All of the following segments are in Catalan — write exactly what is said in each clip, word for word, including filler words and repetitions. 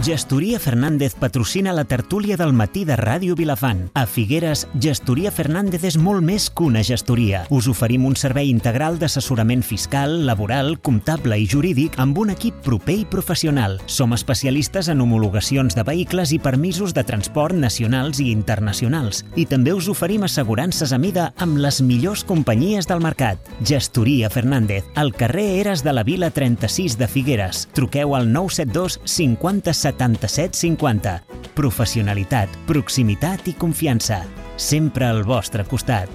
Gestoria Fernández patrocina la tertúlia del matí de Ràdio Vilafant. A Figueres, Gestoria Fernández és molt més que una gestoria. Us oferim un servei integral d'assessorament fiscal, laboral, comptable i jurídic amb un equip proper i professional. Som especialistes en homologacions de vehicles i permisos de transport nacionals i internacionals. I també us oferim assegurances a mida amb les millors companyies del mercat. Gestoria Fernández, al carrer Eres de la Vila trenta-sis de Figueres. Truqueu al nou set dos cinquanta setanta-set cinquanta. Professionalitat, proximitat i confiança. Sempre al vostre costat.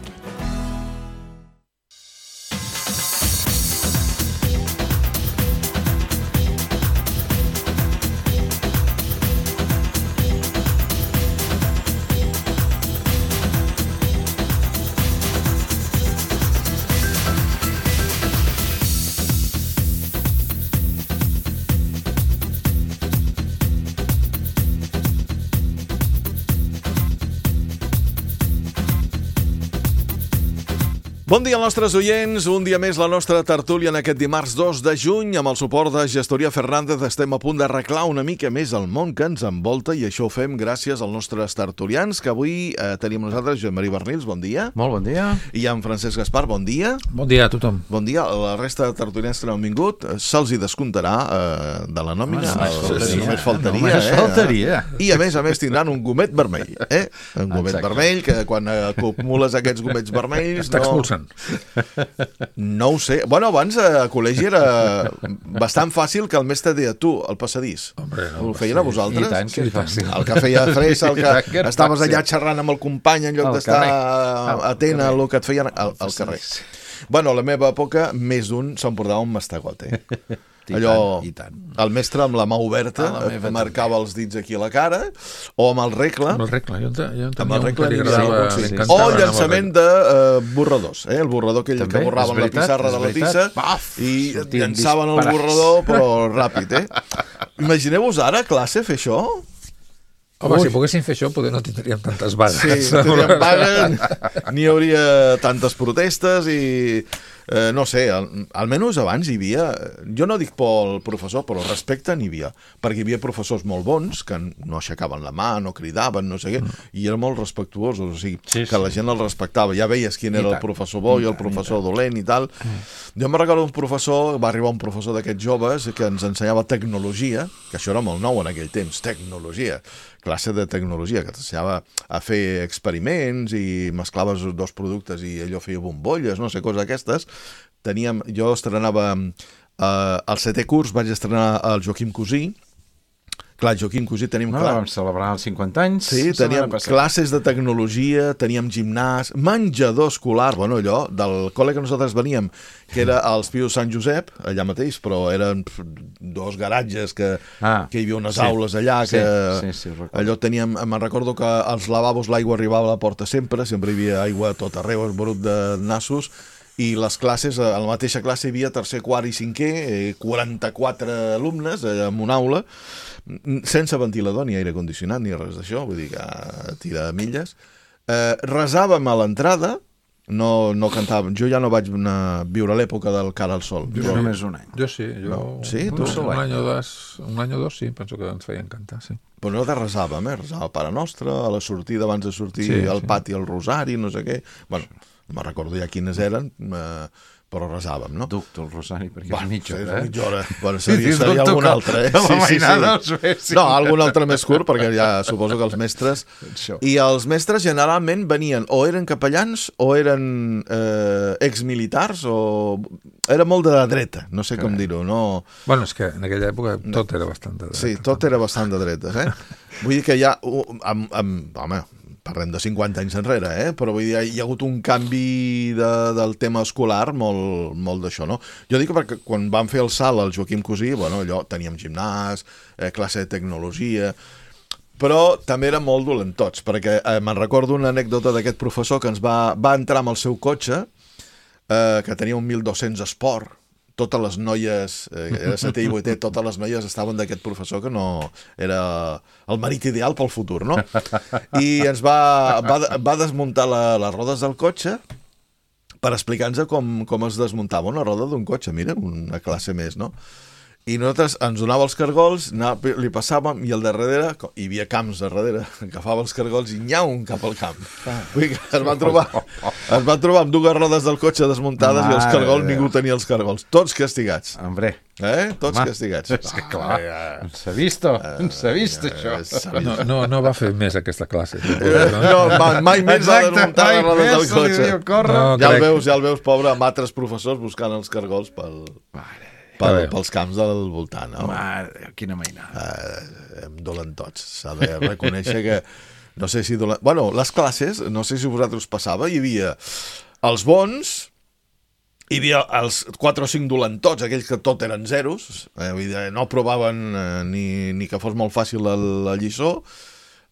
Bon dia als nostres oients, un dia més la nostra tertúlia en aquest dimarts dos de juny amb el suport de Gestoria Fernández. Estem a punt d'arreglar una mica més el món que ens envolta i això ho fem gràcies als nostres tertulians que avui eh, tenim nosaltres. Joan Maria Bernils, bon dia. Molt bon dia. I en Francesc Gaspar, bon dia. Bon dia a tothom. Bon dia. La resta de tertulians que no han vingut se'ls hi descomptarà eh, de la nòmina. No, no, el, sí, només faltaria. no, només eh? faltaria. I a més a més tindran un gomet vermell. Eh? Un gomet Exacte. vermell que quan acumules aquests gomets vermells... Està no... expulsant. No ho sé. Bueno, abans a col·legi era bastant fàcil que el mestre deia tu, el passadís. Hombre, no, Ho feien a vosaltres? I tant que és fàcil. El que feia fressa, el I tant que que era estaves fàcil. allà xerrant amb el company en lloc Al d'estar carrer. atent a Al el que et feien al, al carrer. Bueno, a la meva època, més d'un s'emportava un mastegot, eh? I Allò, tant, i tant. el mestre amb la mà oberta A la meva et marcava els dits aquí a la cara, o amb el regle, Amb el regle. Jo en, te- jo en amb tenia el un regle que li lineal, agradava, sí. li O encantava anar amb el llançament regle. de uh, borradors, eh? El borrador aquell També, que borraven és la veritat, pissarra és de la veritat. tissa Paf! i Sortien llançaven el disparats. borrador, però ràpid, eh? Imagineu-vos ara, a classe, fer això? Home, Ui. si poguéssim fer això, potser no tindríem tantes vagues. Sí, tindríem vaga, n'hi hauria tantes protestes i... Eh, no sé, al, almenys abans hi havia, jo no dic pel professor, però respecte n'hi havia, perquè hi havia professors molt bons que no aixecaven la mà, no cridaven, no sé què, mm. i eren molt respectuosos, o sigui, Sí, que sí. la gent els respectava, ja veies quin I era tant. el professor bo i, I el tant, professor i tant. dolent i tal. Mm. Jo me'n recordo un professor, va arribar un professor d'aquests joves que ens ensenyava tecnologia, que això era molt nou en aquell temps, tecnologia, classe de tecnologia, que t'ensenyava a fer experiments i mesclaves dos productes i allò feia bombolles, no sé, coses aquestes. Teníem, jo estrenava eh, al setè curs, vaig estrenar el Joaquim Cosí. Clar, Joaquim Cosí tenim... No, clar, vam celebrar els cinquanta anys. sí, la setmana teníem passada. classes de tecnologia, teníem gimnàs, menjador escolar, bueno, allò, del col·le que nosaltres veníem, que era als Pius Sant Josep, allà mateix, però eren pf, dos garatges que, Ah, que hi havia unes sí. aules allà, Sí, que sí, sí, ho recordo. allò teníem, me'n recordo que als lavabos l'aigua arribava a la porta sempre, sempre hi havia aigua a tot arreu, esborut de nassos, i les classes, a la mateixa classe hi havia tercer, quart i cinquè, eh, quaranta-quatre alumnes eh, en una aula, sense ventilador ni aire condicionat ni res d'això, vull dir que a tira milles. Eh, resàvem a l'entrada, no, no cantàvem, jo ja no vaig anar a viure a l'època del Cara al Sol. Jo només un any. Jo sí, jo... No. Sí, tu? un, un any o dos, un any o dos, sí, penso que ens feien cantar, sí. Però no de resàvem, eh? Resàvem a Pare Nostre, a la sortida, abans de sortir Sí, al sí. pati, al Rosari, no sé què. Bueno, no me'n recordo ja quines eren, eh, però resàvem, no? Ducto el Rosari, perquè Bueno, és mitja sí, hora, eh? mitja hora. Bueno, Sí, seria, sí, seria dubto algun que- altre, eh? que la mainada els fessin. No, algun altre més curt, perquè ja suposo que els mestres... Això. I els mestres generalment venien o eren capellans o eren eh, exmilitars o... Era molt de la dreta, no sé com dir-ho, no... Bueno, és que en aquella època tot era bastant de dreta. Sí, tot era bastant de dretes, eh? Vull dir que hi ha... uh, Amb, amb, home, parlem de cinquanta anys enrere, eh? Però vull dir, hi ha hagut un canvi de, del tema escolar molt, molt d'això, no? Jo dic perquè quan vam fer el salt al Joaquim Cosí, bueno, allò, teníem gimnàs, eh, classe de tecnologia, però també eren molt dolentots, perquè eh, me'n recordo una anècdota d'aquest professor que ens va, va entrar amb el seu cotxe, eh, que tenia un mil dos-cents Sport, totes les noies, eh, era setè i vuitè, totes les noies estaven d'aquest professor que no era el marit ideal pel futur, no? I ens va, va, va desmuntar la, les rodes del cotxe per explicar-nos com, com es desmuntava una roda d'un cotxe, mira, una classe més, no? i nosaltres ens donava els cargols, anava, li passàvem, i al darrere, hi havia camps a darrere, agafava els cargols i nyau cap al camp. Vull dir que es van trobar, es van trobar amb dues rodes del cotxe desmuntades Mare i els cargols, ningú tenia els cargols. Tots castigats. Hombre. Eh? Tots Home, castigats. És que clar, no s'ha vist, no s'ha vist això. No, no, no va fer més aquesta classe. No, mai més va desmuntar les rodes del cotxe. No, ja el veus, ja el veus, pobre, amb altres professors buscant els cargols pel, pel, pels camps del voltant. No? Mare, quina mainada. Eh, em dolen tots. S'ha de reconèixer que... No sé si... Dolen... Bueno, les classes, no sé si a vosaltres passava, hi havia els bons... Hi havia els quatre o cinc dolentots, aquells que tot eren zeros, eh, no provaven eh, ni, ni que fos molt fàcil la, la lliçó.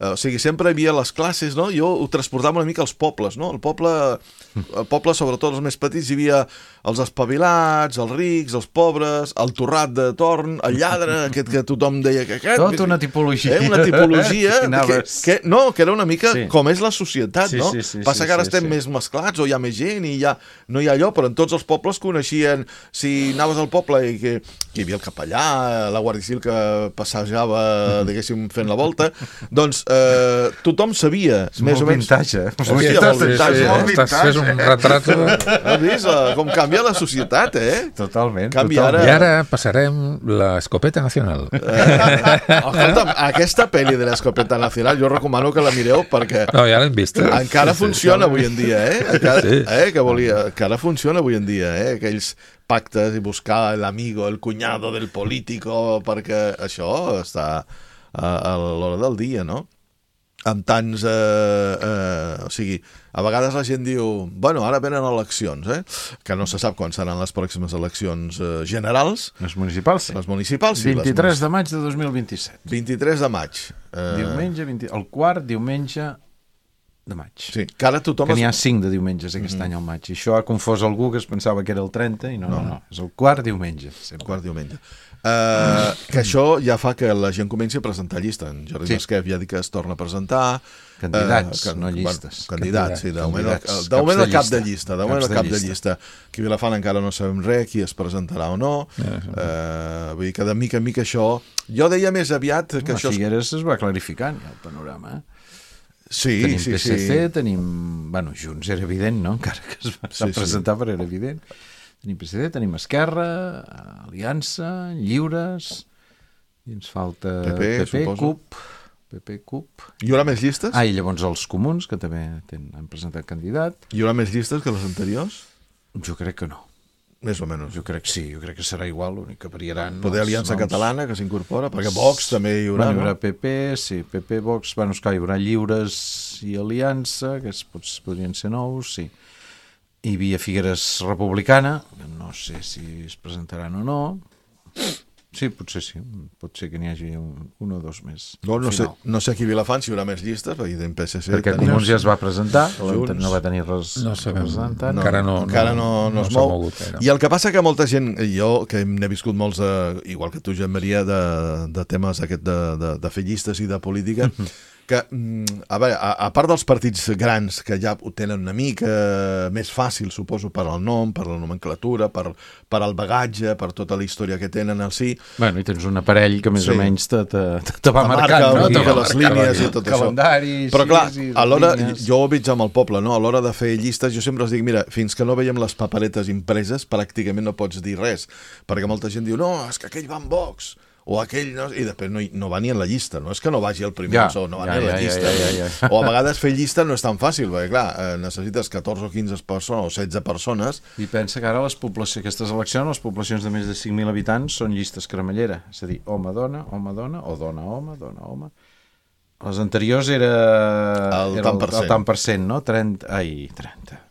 Eh, o sigui, sempre hi havia les classes, no? Jo ho transportava una mica als pobles, no? El poble, el poble, sobretot els més petits, hi havia els espavilats, els rics, els pobres, el torrat de torn, el lladre, aquest que tothom deia que aquest... Tot una tipologia. Eh, una tipologia que, que, no, que era una mica sí. com és la societat, sí, no? Sí, sí, Passa sí, que ara sí, estem sí. més mesclats o hi ha més gent i ja no hi ha allò, però en tots els pobles coneixien, si anaves al poble i que, que hi havia el capellà, la Guàrdia Civil que passejava, diguéssim, fent la volta, doncs eh, tothom sabia, és més o menys... Vintatge. Hòstia, molt vintatge, sí, eh? Estàs fent un retrat... Has vist com canvia la societat, eh? Totalment. Canvia totalment. ara... I ara passarem la escopeta nacional. Eh, escolta'm, aquesta pel·li de l'escopeta nacional jo recomano que la mireu perquè No, ja l'hem vist. encara Sí, funciona sí, avui en dia, eh? Encara, Sí. eh? Que volia, encara funciona avui en dia, eh? Aquells pactes i buscar l'amigo, el cunyado del político, perquè això està a, a l'hora del dia, no? Amb tants... Eh, eh, o sigui, a vegades la gent diu bueno, ara venen eleccions, eh? Que no se sap quan seran les pròximes eleccions eh, generals. Les municipals, sí. Les municipals, sí. vint-i-tres les... de maig de dos mil vint-i-set. vint-i-tres de maig. Eh... Diumenge, vint... el quart diumenge de maig. Sí, que ara tothom... Que n'hi ha es... cinc de diumenges aquest mm-hmm. any al maig. I això ha confós algú que es pensava que era el trenta i no, no, no. És el quart diumenge. Sempre. Quart diumenge. Uh, que això ja fa que la gent comenci a presentar llista. En Jordi sí. Masquef ja ha dit que es torna a presentar. Candidats, uh, que, no llistes. Bueno, candidats, sí, de moment el, Candidats. de moment el cap de llista. llista. De moment el cap de llista. Aquí a Vilafant encara no sabem res, qui es presentarà o no. Uh, vull dir que de mica en mica això... Jo deia més aviat que no, això... Figueres es va clarificant ja el panorama, eh? Sí, tenim sí, P S C, sí. tenim... Bueno, Junts era evident, no? Encara que es va sí, presentar, sí. però era evident. Tenim P S C, tenim Esquerra, Aliança, Lliures, i ens falta P P, P P suposo. CUP, P P, CUP... Hi haurà més llistes? Ah, i llavors els comuns, que també ten, han presentat candidat. Hi haurà més llistes que les anteriors? Jo crec que no. Més o menys. Jo crec que sí, jo crec que serà igual, l'únic que variaran... Poder els Aliança noms. Catalana, que s'incorpora, perquè Vox també hi haurà, bueno, hi haurà no? P P, sí, P P, Vox, bueno, esclar, hi haurà Lliures i Aliança, que es, pots, podrien ser nous, sí. Hi havia Figueres Republicana, que no sé si es presentaran o no. Sí, potser sí, pot ser que n'hi hagi un, un o dos més. No, no, sé, no sé aquí a Vilafant si hi haurà més llistes, perquè en P S C... Perquè tenim... Comuns ja es va presentar, Junts. no va tenir res no representant. No, encara no, encara no, no, no es mou. Mogut, eh, no. I el que passa que molta gent, jo que n'he viscut molts, de, igual que tu, Joan Maria, de, de temes aquest de, de, de fer llistes i de política, que, a veure, a, a part dels partits grans, que ja ho tenen una mica més fàcil, suposo, per al nom, per la nomenclatura, per, per al bagatge, per tota la història que tenen al si... Bueno, i tens un aparell que més sí. o menys te, te, te va marcar, marcant, no? Te Te les línies i tot calendari, això. Però clar, sí, sí, a l'hora, línies. jo ho veig amb el poble, no? A l'hora de fer llistes, jo sempre els dic, mira, fins que no veiem les paperetes impreses, pràcticament no pots dir res, perquè molta gent diu, no, és que aquell va amb Vox, o aquell, no, i després no, no va ni en la llista, no és que no vagi al primer, ja, no va ja, ni en la ja, llista. Ja, ja, ja, ja. O a vegades fer llista no és tan fàcil, perquè clar, eh, necessites catorze o quinze persones o setze persones. I pensa que ara les poblacions, aquestes eleccions, les poblacions de més de cinc mil habitants són llistes cremallera, és a dir, home-dona, home-dona, o dona-home, dona-home. Les anteriors era el, era tant per el, el tant per cent, no? trenta, ai, trenta.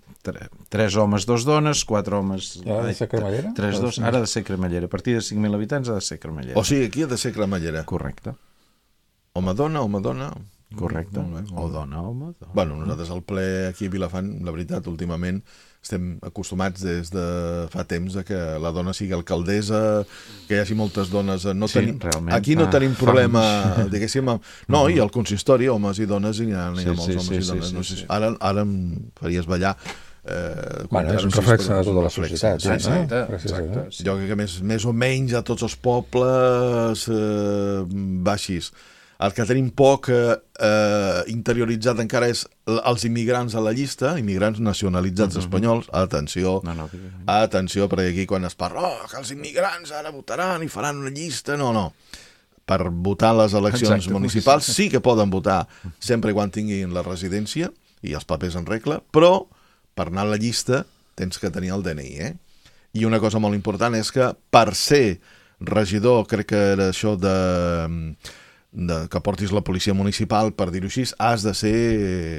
Tres homes, dos dones, quatre homes... Ha de ser cremallera? Tres, dos, ara ha de ser cremallera. A partir de cinc mil habitants ha de ser cremallera. O sigui, aquí ha de ser cremallera. Correcte. Home-dona, home-dona... Correcte. Molt bé, molt bé. O dona, home, dona. Bueno, nosaltres al ple aquí a Vilafant, la veritat, últimament estem acostumats des de fa temps a que la dona sigui alcaldessa, que hi hagi moltes dones... No sí, tenim, realment. aquí no fa, tenim problema, diguéssim... Amb, no, i al consistori, homes i dones, hi ha, hi ha sí, molts sí, homes sí, i dones. sí, No sé, sí. ara, ara em faries ballar. Eh, bueno, és un reflex de tota la societat. Sí, sí. Exacte, exacte. Sí. Jo crec que més, més o menys a tots els pobles eh, va així. El que tenim poc eh, eh, interioritzat encara és els immigrants a la llista, immigrants nacionalitzats mm-hmm. espanyols. Atenció, no, no, atenció, perquè aquí quan es parla oh, que els immigrants ara votaran i faran una llista, no, no. Per votar a les eleccions Exacte, municipals sí que poden votar sempre quan tinguin la residència i els papers en regla, però per anar a la llista tens que tenir el D N I, eh? I una cosa molt important és que per ser regidor, crec que era això de, de que portis la policia municipal, per dir-ho així, has de ser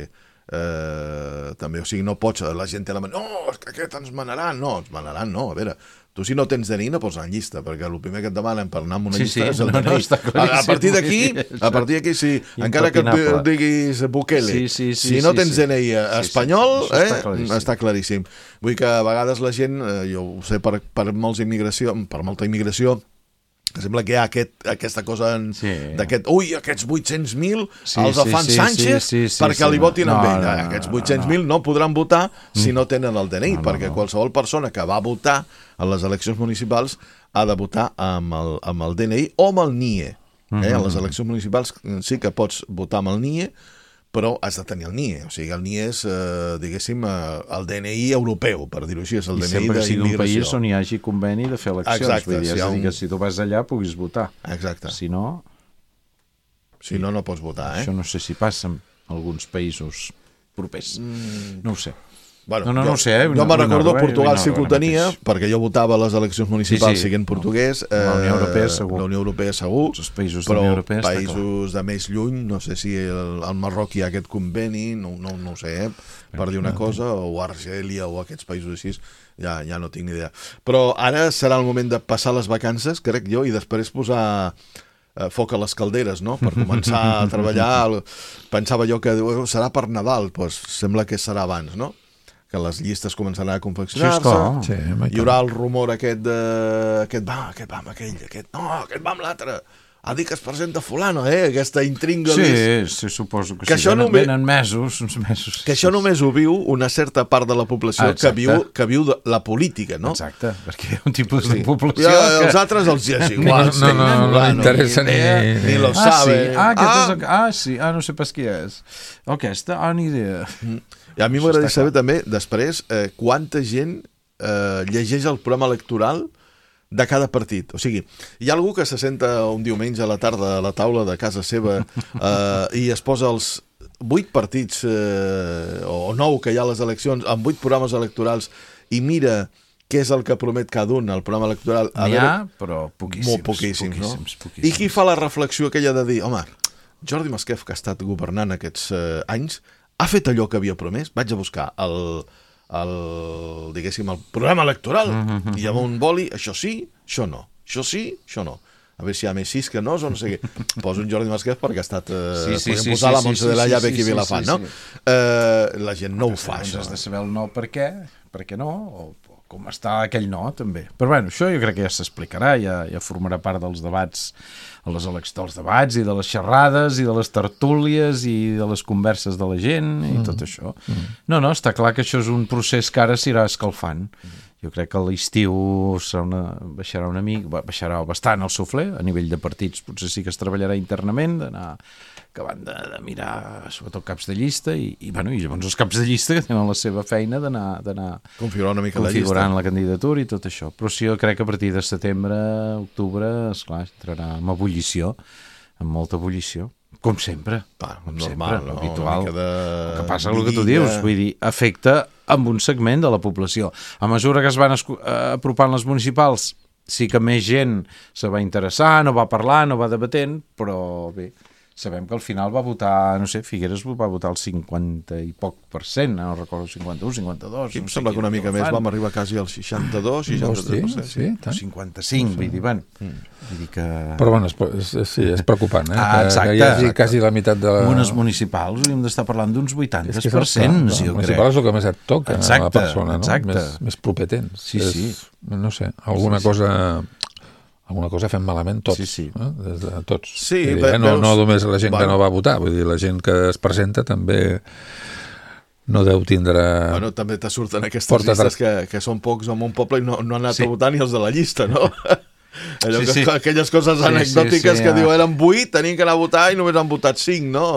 eh, també, o sigui, no pots, la gent té la manera, no, és que aquest ens manaran, no, ens manaran, no, a veure, tu si no tens D N I no pots anar en llista, perquè el primer que et demanen per anar en una sí, llista sí, és el no, D N I. No, a, a partir d'aquí, a partir d'aquí, sí, encara que et diguis Bukele, sí, sí, sí, si no sí, tens sí. D N I espanyol, sí, sí, sí. Eh, Està, claríssim. està claríssim. Vull que a vegades la gent, eh, jo ho sé per, per, molts immigració, per molta immigració, que sembla que hi ha aquest, aquesta cosa en, sí. d'aquest, ui, aquests vuit-cents mil sí, els el fan sí, Sánchez sí, sí, sí, perquè sí, li votin no, amb ell. no, no, Aquests vuit-cents mil no, no podran votar si no tenen el D N I, no, no, perquè no. qualsevol persona que va votar a les eleccions municipals ha de votar amb el, amb el D N I o amb el N I E. Eh? A les eleccions municipals sí que pots votar amb el N I E, però has de tenir el N I E. O sigui, el N I E és, eh, diguéssim, eh, el D N I europeu, per dir-ho així, és el I D N I sempre que sigui un d'immigració. país on hi hagi conveni de fer eleccions. Exacte, vull dir, si és a dir, un... que si tu vas allà puguis votar. Exacte. Si no... Si no, no pots votar, eh? Això no sé si passa en alguns països propers. Mm. No ho sé. Bueno, no, no, jo, no ho sé, eh? Jo me'n recordo, eh? Portugal sí que ho tenia, perquè jo votava a les eleccions municipals sí, sí. siguent portuguès. Eh, la Unió Europea segur. La Unió Europea segur. Els països però de la Unió Europea països de més lluny, no sé si el, el Marroc hi ha aquest conveni, no, no, no ho sé, eh, per dir una cosa, o Argèlia o aquests països així, ja, ja no tinc ni idea. Però ara serà el moment de passar les vacances, crec jo, i després posar eh, foc a les calderes, no?, per començar a treballar. Pensava jo que serà per Nadal, doncs sembla que serà abans, no?, que les llistes començaran a confeccionar-se, sí, hi haurà el rumor aquest de... aquest va, aquest va amb aquell, aquest no, aquest va amb l'altre, ha dit que es presenta fulano, eh? Aquesta intringa. Sí, sí, suposo que, que sí, venen, només... venen mesos, uns mesos. Que això només ho viu una certa part de la població ah, que viu, que viu de la política, no? Exacte, perquè hi ha un tipus sí. de població ja, que... Els altres els és igual. No, no, no, no li interessa ni... Ni, ni lo ah, sabe. Sí. Ah, ah. És... ah, sí, ah, no sé pas qui és. Aquesta, ah, ni idea. Mm. I a mi m'agradaria saber també, després, eh, quanta gent eh, llegeix el programa electoral de cada partit. O sigui, hi ha algú que se senta un diumenge a la tarda a la taula de casa seva eh, i es posa els vuit partits eh, o nou que hi ha a les eleccions, amb vuit programes electorals, i mira què és el que promet cada un al programa electoral. N'hi ha, però poquíssims. Molt poquíssims, poquíssims, no? poquíssims. I qui fa la reflexió aquella de dir, home, Jordi Masquef, que ha estat governant aquests eh, anys, ha fet allò que havia promès? Vaig a buscar el, el, diguéssim, el programa electoral mm-hmm. i amb un boli, això sí, això no. Això sí, això no. A veure si hi ha més sis que no, o no sé què. Poso un Jordi Masquef perquè ha estat... Eh, sí, sí, podem sí, posar sí, la Montse sí, de la sí, Llave sí, aquí sí, Vilafant, sí, no? sí. Eh, la gent no ho fa, doncs això. Has de saber el no per què, per què no, o com està aquell no, també. Però bueno, això jo crec que ja s'explicarà, ja, ja formarà part dels debats, a les eleccions dels debats i de les xerrades i de les tertúlies i de les converses de la gent i mm. tot això. Mm. No, no, està clar que això és un procés que ara s'irà escalfant. Mm. Jo crec que a l'estiu serà una, baixarà una mica, baixarà bastant el suflé, a nivell de partits potser sí que es treballarà internament, d'anar acabant de, de mirar sobretot caps de llista i, i, bueno, i llavors els caps de llista que tenen la seva feina d'anar configurar una mica configurant la, la candidatura i tot això. Però sí, jo crec que a partir de setembre, octubre, esclar, entrarà amb ebullició, amb molta ebullició. Com sempre, Va, com normal, sempre, no? habitual. De... El que passa és el que tu dius, vull dir, afecta amb un segment de la població. A mesura que es van apropant les municipals, sí que més gent se va interessar, no va parlar, no va debatent, però bé, sabem que al final va votar, no sé, Figueres va votar el cinquanta i poc per cent, no recordo, cinquanta-u, cinquanta-dos... Aquí em sembla que una mica més vam arribar quasi al seixanta-dos, seixanta-tres per cent. Sí, sí, cinquanta-cinc, vull dir, bueno, vull dir que... Però bueno, és, és, sí, és preocupant, eh? Ah, exacte. Que hi hagi quasi la meitat de... Unes municipals hauríem d'estar parlant d'uns vuitanta per cent, jo crec. Municipal és el que més et toca a la persona, no? Més, més proper tens. Sí, sí. No sé, alguna cosa... alguna cosa fem malament tots, sí, sí. Eh? Des de tots. Sí, dir, ve, eh? no, veus... no només la gent bueno. que no va votar, vull dir, la gent que es presenta també no deu tindre... Bueno, també te surten aquestes Porta llistes que, que són pocs en un poble i no, no han anat sí. a votar ni els de la llista, no? Allò Sí, que, sí. aquelles coses Sí, anecdòtiques sí, sí, que ja. diu eren vuit, tenien que anar a votar i només han votat cinc, no?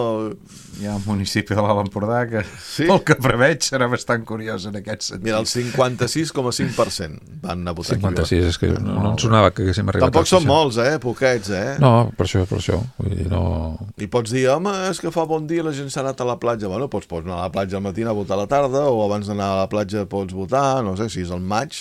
Hi ha un municipi de l'Alt Empordà que, Sí? pel que preveig, serà bastant curiós en aquest sentit. Mira, el cinquanta-sis coma cinc per cent van anar a votar cinquanta-sis, és que no, no em sonava que haguéssim aquí. arribat Tampoc al són seixanta. molts, eh? Poquets, eh? No, per això, per això. Vull dir, no... I pots dir, home, és que fa bon dia, la gent s'ha anat a la platja. Bueno, doncs pots anar a la platja al matí a votar a la tarda, o abans d'anar a la platja pots votar, no sé, si és el maig,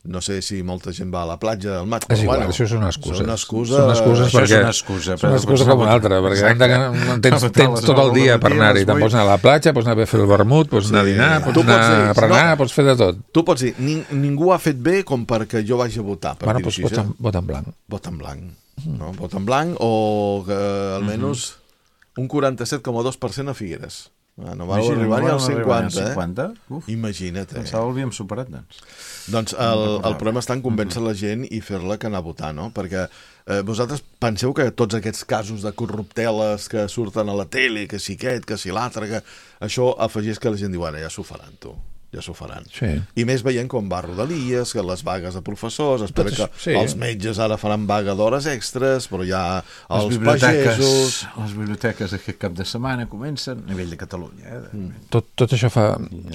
no sé si molta gent va a la platja al maig. És però, igual, bueno, això són excuses. Són excuses, Són excuses Això és perquè... una excusa, És una excusa com una altra, perquè hem de, no tens, No, tens tot el dia per anar-hi. Te'n pots anar a la platja, pots anar a fer el vermut, pots anar a dinar, pots Tu pots anar dir, a berenar, no. pots fer de tot. Tu pots dir, ning ningú ha fet bé com perquè jo vagi a votar. Per Bueno, dir-ho doncs així, vota, eh? en- vota en blanc. Vot en blanc. No? Vot en blanc o que almenys un quaranta-set coma dos per cent a Figueres. Ah, no va Imagina, arribar ni no al van arribar ni al cinquanta, eh? cinquanta? Uf, Imagina't, eh? pensava que l'havíem superat, doncs. Doncs el, el problema està en convèncer la gent i fer-la que anar a votar, no? Perquè eh, vosaltres penseu que tots aquests casos de corrupteles que surten a la tele, que si aquest, que si l'altre, que això afegeix que la gent diu, bueno, ja s'ho faran, tu. Ja s'ho faran. Sí. I més veient com va Rodalies, que les vagues de professors, espera Tot que això, sí. els metges ara faran vaga d'hores extres, però ja Les els biblioteques, pagesos... les biblioteques aquest cap de setmana comencen a nivell de Catalunya. Eh? Mm. Tot, tot això fa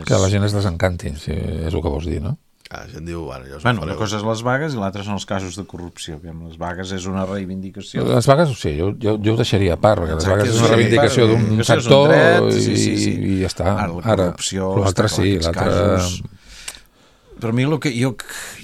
que la gent es desencanti, si és el que vols dir, no? Ah, la gent diu, bueno, ja s'ho Bueno, fareu. una cosa és les vagues i l'altra són els casos de corrupció. Que amb les vagues és una reivindicació. Les vagues, sí, jo, jo, jo ho deixaria a part, perquè les Exacte, vagues és sí, una reivindicació part, d'un això és un sector dret, i, sí, sí, sí. i ja està. Ara, la corrupció l'altre està clar, sí, aquests l'altre... casos... Per mi, el que, jo,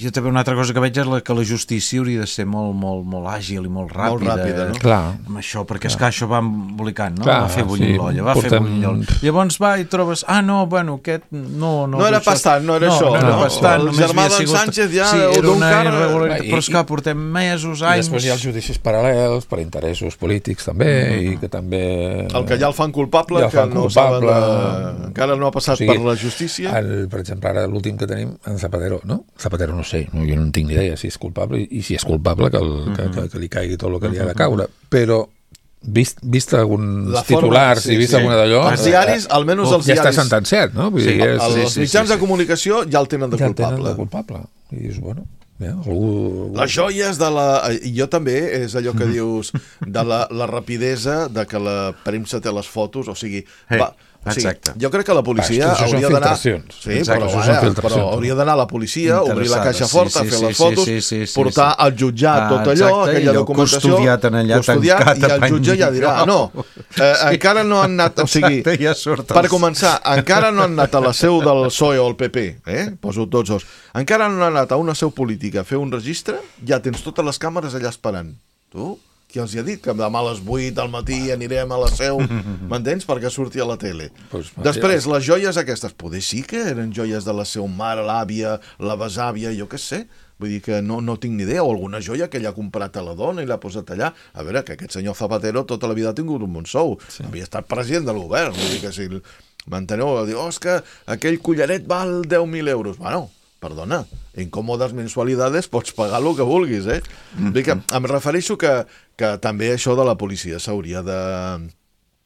jo també una altra cosa que veig és la, que la justícia hauria de ser molt, molt, molt àgil i molt ràpida. Molt ràpida, no? Clar. Amb això, perquè és que això va embolicant, no? Clar, va fer bullir sí, l'olla, va portem- fer bullir l'olla. Llavors va i trobes, ah, no, bueno, aquest... No, no, No era això- pas tant, no era no, això, No, era no. pas tant, El només germà havia d'en sigut- Sánchez ja, sí, o era d'un una car- irregularitat, I- però és que portem mesos, I anys... després hi ha els judicis paral·lels per interessos polítics també, mm-hmm. i que també... El que ja el fan culpable, Ja el que fan no culpable. saben de... encara no ha passat O sigui, per la justícia. El, per exemple, ara l'últim que tenim, en Zapatero, no? Zapatero no sé, no, jo no en tinc ni idea si és culpable, i, i si és culpable que, el, que, que, que li caigui tot el que li ha de caure, però vist, vist alguns La forma, titulars sí, i vist sí. alguna d'allò... Els diaris, almenys els ja està diaris... sentenciat, no? Vull Sí, dir, és, Els sí, sí, mitjans sí, de comunicació ja el tenen de ja el tenen culpable. de culpable. I dius, bueno, ja, algú... Les joies de la... I jo també, és allò que dius, de la, la rapidesa de que la premsa té les fotos, o sigui... Eh, va, o sigui, exacte. jo crec que la policia Va, això són hauria d'anar... filtracions. Sí, Exacte, però, això són vaja, filtracions. però hauria d'anar a la policia, obrir la caixa Interessades, forta, sí, fer sí, les sí, fotos, sí, sí, sí, portar sí. al jutjat Ah, tot allò, exacte, aquella allò documentació... custodiat en allà, custodiat, tancat i a el pany jutge ja dirà, millor. no, eh, encara no han anat... O sigui, Exacte, ja surt per els- començar, encara no han anat a la seu del P S O E o el P P, eh? Poso tots dos. Encara no han anat a una seu política a fer un registre, ja tens totes les càmeres allà esperant. Tu? Qui els hi ha dit que demà a les vuit al matí anirem a la seu, m'entens? Perquè surti a la tele. Pues, Després, les joies aquestes, poder sí que eren joies de la seva mare, l'àvia, la besàvia, jo què sé. Vull dir que no, no tinc ni idea, o alguna joia que ella ha comprat a la dona i l'ha posat allà. A veure, que aquest senyor Zapatero tota la vida ha tingut un bon sou. Sí. Havia estat president del govern. Vull dir que si... M'enteneu? Diu, oh, és que aquell collaret val deu mil euros. Bueno, perdona, en còmodes mensualidades pots pagar el que vulguis, eh? Mm -hmm. que em refereixo que, que també això de la policia s'hauria de...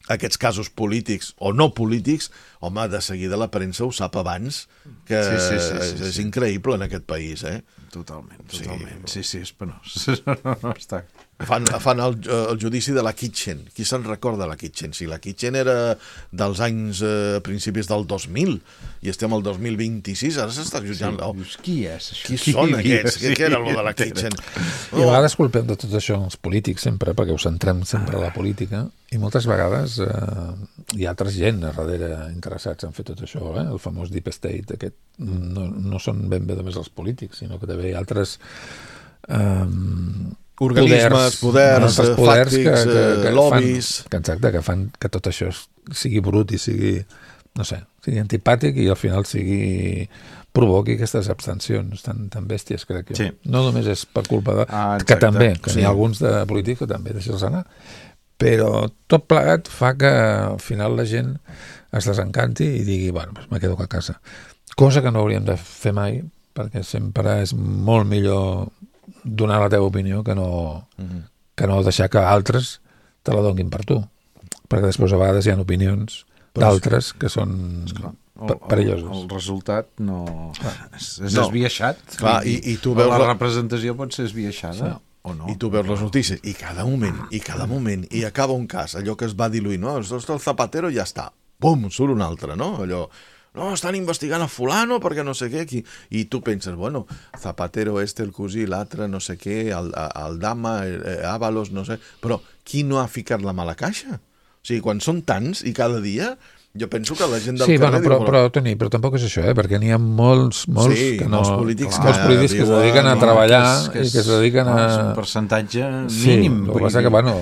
Aquests casos polítics o no polítics, home, de seguida la premsa ho sap abans, que Sí, sí, sí, sí, és, és sí. increïble en aquest país, eh? Totalment, Sí, totalment. però- Sí, sí, és penós. No, no està... Fan, fan el, el judici de la Kitchen. Qui se'n recorda de la Kitchen? Si la Kitchen era dels anys eh, principis del dos mil i estem al dos mil vint-i-sis, ara s'està jutjant... Oh, Dius, qui és això? qui són aquests? Què, què era allò de la Kitchen? I a vegades culpem de tot això els polítics sempre, perquè ho centrem sempre a la política, i moltes vegades eh, hi ha altres gent a darrere interessats en fer tot això, eh? El famós Deep State aquest, no, no són ben bé només els polítics, sinó que també hi ha altres eh, Organismes, poders, altres eh, poders fàctics, eh, lobbies. fan, que, exacte, que fan que tot això sigui brut i sigui, no sé, sigui antipàtic i al final sigui provoqui aquestes abstencions tan, tan bèsties, crec jo. Sí. No només és per culpa de... Ah, que exacte. també, que Sí. n'hi ha alguns de polítics que també deixes anar, però tot plegat fa que al final la gent es desencanti i digui, bueno, doncs me quedo a casa. Cosa que no hauríem de fer mai, perquè sempre és molt millor donar la teva opinió que no, Mhm. que no deixar que altres te la donguin per tu. Perquè després a vegades hi ha opinions Però és- d'altres que són el, perillosos. El resultat no... És, és No. esbiaixat. Clar, i- i tu veus la la- representació pot ser esbiaixada. Sí. O no. I tu veus les notícies, i cada moment, i cada moment, i acaba un cas, allò que es va diluir, no? Els dos del Zapatero ja està. Pum, surt un altre, no? Allò, no, estan investigant a fulano perquè no sé què, aquí. I tu penses, bueno, Zapatero este, el cosí, l'altre, no sé què, el, el Dama, el, Ábalos, no sé... Però qui no ha ficat la mà a la caixa? O sigui, quan són tants i cada dia... Jo penso que la gent del sí, carrer... bueno, però, diu, però, Toni, però tampoc és això, eh? Perquè n'hi ha molts, molts, Sí, que no, molts polítics molts que polítics que es viuen- dediquen a no, treballar que és- i que es dediquen a... és un percentatge Sí, mínim. el que vull passa dir. que, bueno,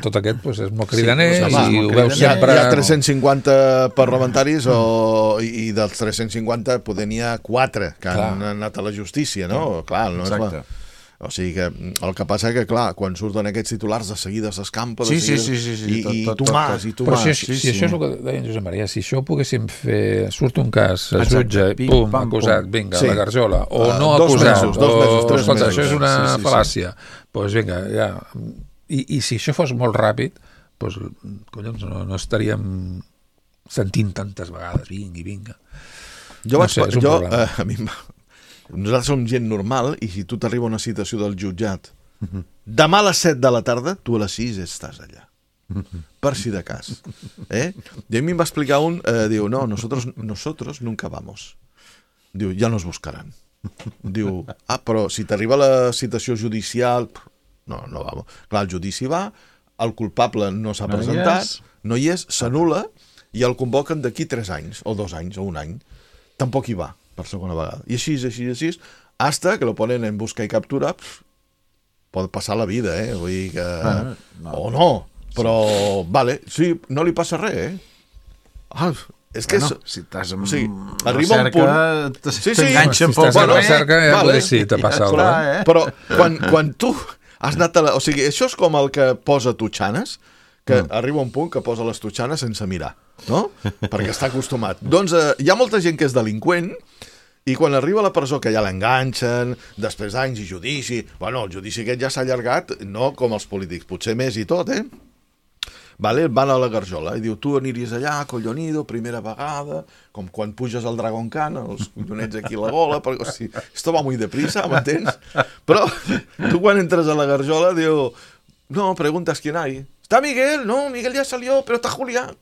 tot aquest pues, és molt cridaner Sí, sí, home, i molt ho veus cridaner. Hi ha, sempre... hi ha tres-cents cinquanta parlamentaris o, i, i dels tres-cents cinquanta poder n'hi ha quatre que Clar. han anat a la justícia, no? Clar, no és Exacte. la... O sigui que el que passa que, clar, quan surten aquests titulars de seguida s'escampa, de Sí, sí, seguida... sí, sí, sí, I, tot, i tot, tu tot, mas, tot. i tu Però mas. si, si, sí, si sí. això és el que deia en Josep Maria, si això ho poguéssim fer, surt un cas, es Exacte. jutja, Pim, pum, pam, acusat, pum. vinga, Sí. la garjola, o Uh, no dos acusat, mesos, dos o, mesos, tres escolta, mesos. això és una Sí, sí, sí. fal·làcia, doncs pues vinga, ja. I, I si això fos molt ràpid, doncs, collons, no, no estaríem sentint tantes vegades, vinga i vinga. Jo, No vaig, sé, és un jo problema. eh, a mi, em va- nosaltres som gent normal i si tu t'arriba una citació del jutjat demà a les set de la tarda, tu a les sis estàs allà. Per si de cas. Eh? I a mi em va explicar un, eh, diu, no, nosotros, nosotros nunca vamos. Diu, ja nos buscaran. Diu, ah, però si t'arriba la citació judicial, no, no vamos. Clar, el judici va, el culpable no s'ha No hi presentat, és. no hi és, s'anul·la i el convoquen d'aquí tres anys, o dos anys, o un any. Tampoc hi va, per segona vegada. I així, així, així, hasta que lo ponen en busca i captura, pff, pot passar la vida, eh? Vull dir que... Ah, no. O no, però, vale, sí, no li passa res, eh? Ah, és que Bueno, és... si estàs amb o sigui, la arriba un cerca, punt- t- Sí, sí. t'enganxa Si un poc. estàs Bueno, a la cerca, ja vale. vale. sí, te passa alguna clar, cosa. eh? Però quan, quan tu has anat a la... O sigui, això és com el que posa tutxanes, que mm. arriba un punt que posa les tutxanes sense mirar, no? Perquè està acostumat. Doncs eh, hi ha molta gent que és delinqüent i quan arriba a la presó, que ja l'enganxen, després d'anys i judici... Bueno, el judici aquest ja s'ha allargat, no com els polítics, potser més i tot, eh? Vale, van a la garjola i diu, tu aniries allà, collonido, primera vegada, com quan puges al Dragon Khan, els collonets aquí a la gola, perquè, hosti, esto va muy deprisa, m'entens? Però tu quan entres a la garjola diu, no, preguntas quién hay. ¿Está Miguel? No, Miguel ya salió, pero está Julián.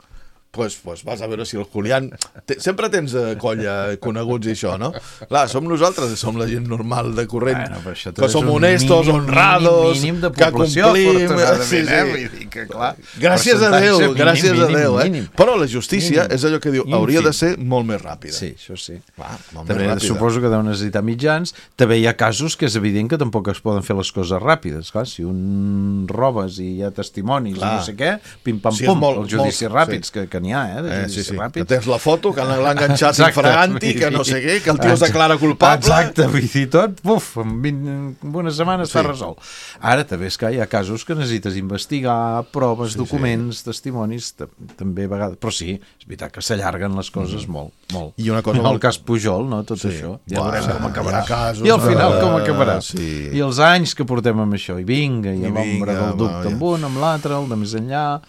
Pues, pues vas a veure si el Julián... Te, sempre tens eh, colla coneguts i això, no? Clar, som nosaltres, som la gent normal de corrent, Bueno, però això tot que és som un honestos, mínim, honrados, mínim, mínim de que població, complim... afortunadament, Sí, eh? sí. Vull dir que, clar, Gràcies a Déu, percentatge gràcies mínim, a Déu, eh? mínim. Però la justícia Mínim. és allò que diu, Ínfim. hauria de ser molt més ràpida. Sí, això sí. Clar, molt També més ràpida. suposo que deu necessitar mitjans. També hi ha casos que és evident que tampoc es poden fer les coses ràpides. Clar, si un robes i hi ha testimonis Clar. i no sé què, pim-pam-pum, Sí, és molt- els judicis molt- ràpids, sí. que, que n'hi ha, eh? De Eh, judicis sí, sí. Que ràpids. tens la foto, que l'ha enganxat Exacte. infraganti, que no sé què, que el tio es declara culpable. Exacte, vull dir tot, buf, en, vint, en una setmana està Sí. resolt. Ara també és que hi ha casos que necessites investigar, proves, Sí, documents, testimonis, t- també a vegades, però sí, és veritat que s'allarguen les coses molt, molt. I una cosa el molt- cas Pujol, no?, tot Sí. això, ja Buah, veurem com acabarà. hi ha casos I al final de- com acabarà. sí. I els anys que portem amb això, i vinga, i, I l'ombra vinga, del va, dubte ja. amb un, amb l'altre, el de més enllà...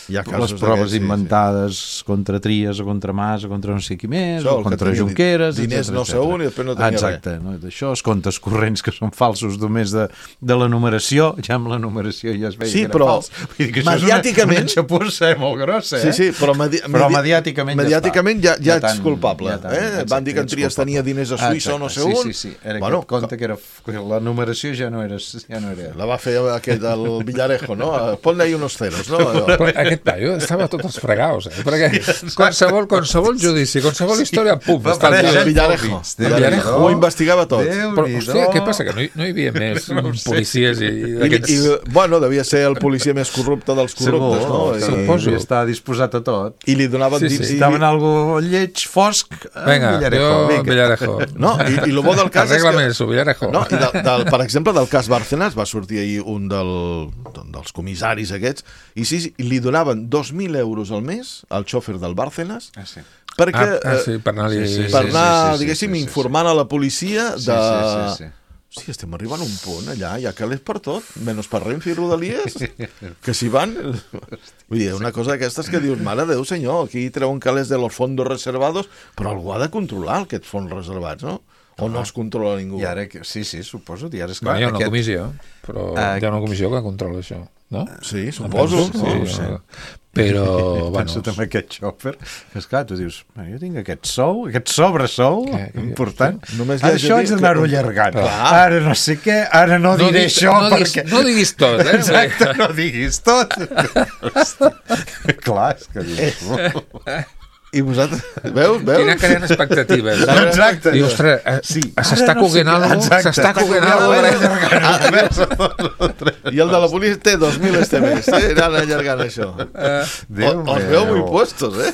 Hi ha les casos proves d'aquests, sí, sí. inventades contra Trias o contra Mas o contra no sé qui més, Això, o el que contra tenia Junqueras, diners etcètera, no sé etcètera. on i després no tenia Exacte, no? D'això, els comptes corrents que són falsos només de, de la numeració, ja amb la numeració ja es veia Sí, que era però fals. Vull dir que això mediàticament- és una, una xapussa eh, molt grossa, eh? Sí, sí, però, medi Però medi mediàticament ja mediàticament ja, està. ja, Ja ets tant, culpable. ja tant, eh? exacte, Van dir que en ets Trias culpable. tenia diners a Suïssa o no sé Exacte, on. Sí, sí, sí. Era bueno, aquest compte que, era, que la numeració ja no era... Ja no era. la va fer aquest, el Villarejo, no? Ponle ahí unos ceros, no? Però aquest paio estava tots els fregaus, eh? Perquè qualsevol, qualsevol judici, qualsevol història, pum, Va està el aparèixer tio. El Villarejo. Déu-n'hi-do. Villarejo ho investigava tot. Però, hòstia, què passa? Que no hi, no hi havia més policies i, i I, d'aquests... i, bueno, devia ser el policia més corrupte dels corruptes, no? I, Suposo. I està disposat a tot. I li donaven... Sí, dins- sí. i- Estaven algo lleig, fosc, eh, Vinga, Villarejo. jo, Vinga. Villarejo. No, i, i el bo del cas és Arregla-me que... eso, Villarejo. No, i del, del, per exemple, del cas Bárcenas va sortir ahir un del, dels comissaris aquests i sí, sí, li donaven dos mil euros al mes al xòfer del Bárcenas Ah, sí. perquè, Ah, ah, sí, per anar-li... Sí, sí, per sí, anar, sí, sí, diguéssim, sí, sí, sí. informant a la policia de... Sí, sí, sí, sí. sí, estem arribant a un punt allà, hi ha calés per tot, menys per Renfe i Rodalies, que s'hi van... Vull dir, una cosa d'aquestes que dius, mare Déu senyor, aquí treuen calés de los fondos reservados, però algú ha de controlar aquests fons reservats, no? O no els controla ningú? I ara, sí, sí, suposo, i ara és clar... Bueno, hi ha una aquest... comissió, però uh, hi ha una comissió que controla això, no? Sí, suposo. Sí, no? sí. Però, bueno... Penso també aquest xòfer, que esclar, tu dius, jo tinc aquest sou, aquest sobresou Què? important, Només ara això haig d'anar-ho allargant, ara no sé què, ara no, no diré diguis, això no perquè... Diguis, no diguis tot, eh? Exacte, no diguis tot. Clar, és que dius... I vosaltres, veus, veus? Quina creen expectatives. Exacte. I, ostres, eh, Sí, s'està ara no sé coguent què- alguna cosa, exacte, s'està coguent alguna cosa. I el de la policia té dos mil este mes, eh? Anant allargant això. Déu O, els veu muy puestos, eh?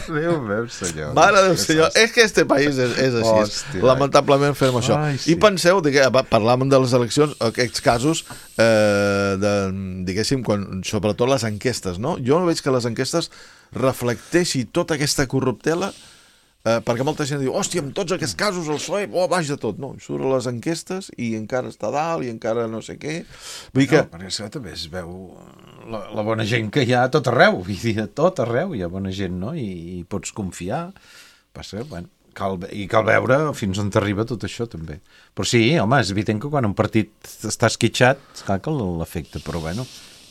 Déu meu, senyor. Mare del senyor, és que este país és, és així. Hòstia, Lamentablement fem això. Ai, sí. I penseu, digue, parlàvem de les eleccions, aquests casos, eh, de, diguéssim, quan, sobretot les enquestes, no? Jo no veig que les enquestes reflecteixi tota aquesta corruptela, eh, perquè molta gent diu, hòstia, amb tots aquests casos el P S O E, oh, baix de tot. No, surt a les enquestes i encara està dalt i encara no sé què. Vull dir que... No, perquè això també es veu la, la bona gent que hi ha a tot arreu, vull dir, a tot arreu hi ha bona gent, no? I, i pots confiar. Passa, bueno, cal, i cal veure fins on t'arriba tot això, també. Però sí, home, és evident que quan un partit està esquitxat, clar que l'afecta, però bueno,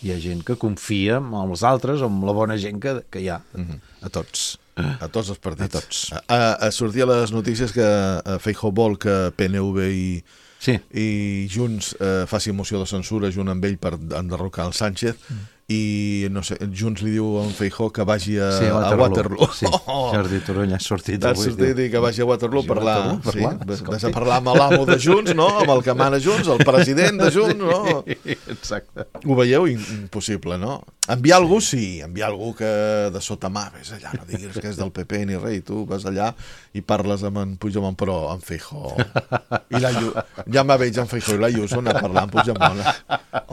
hi ha gent que confia en els altres, en la bona gent que, que hi ha, a tots. A tots els partits. A tots. A, a sortir a les notícies que a Feijóo vol que P N V i, Sí. i Junts eh, faci moció de censura junt amb ell per enderrocar el Sánchez, mm. i no sé, Junts li diu a en Feijóo que vagi a, Sí, a a Waterloo. Sí, Jordi Turull ha sortit Ha avui. sortit i que vagi a Waterloo a parlar, Waterloo, sí, parlar, ves, escolti. ves a parlar amb l'amo de Junts, no? Amb el que mana Junts, el president de Junts, no? Exacte. Ho veieu? Impossible, no? Enviar algú, sí, enviar algú que de sota mà, ves allà, no diguis que és del P P ni res, i tu vas allà i parles amb en Puigdemont, però en Feijóo. I la Llu... Ja me veig en Feijóo i la Ayuso anar a parlar amb Puigdemont.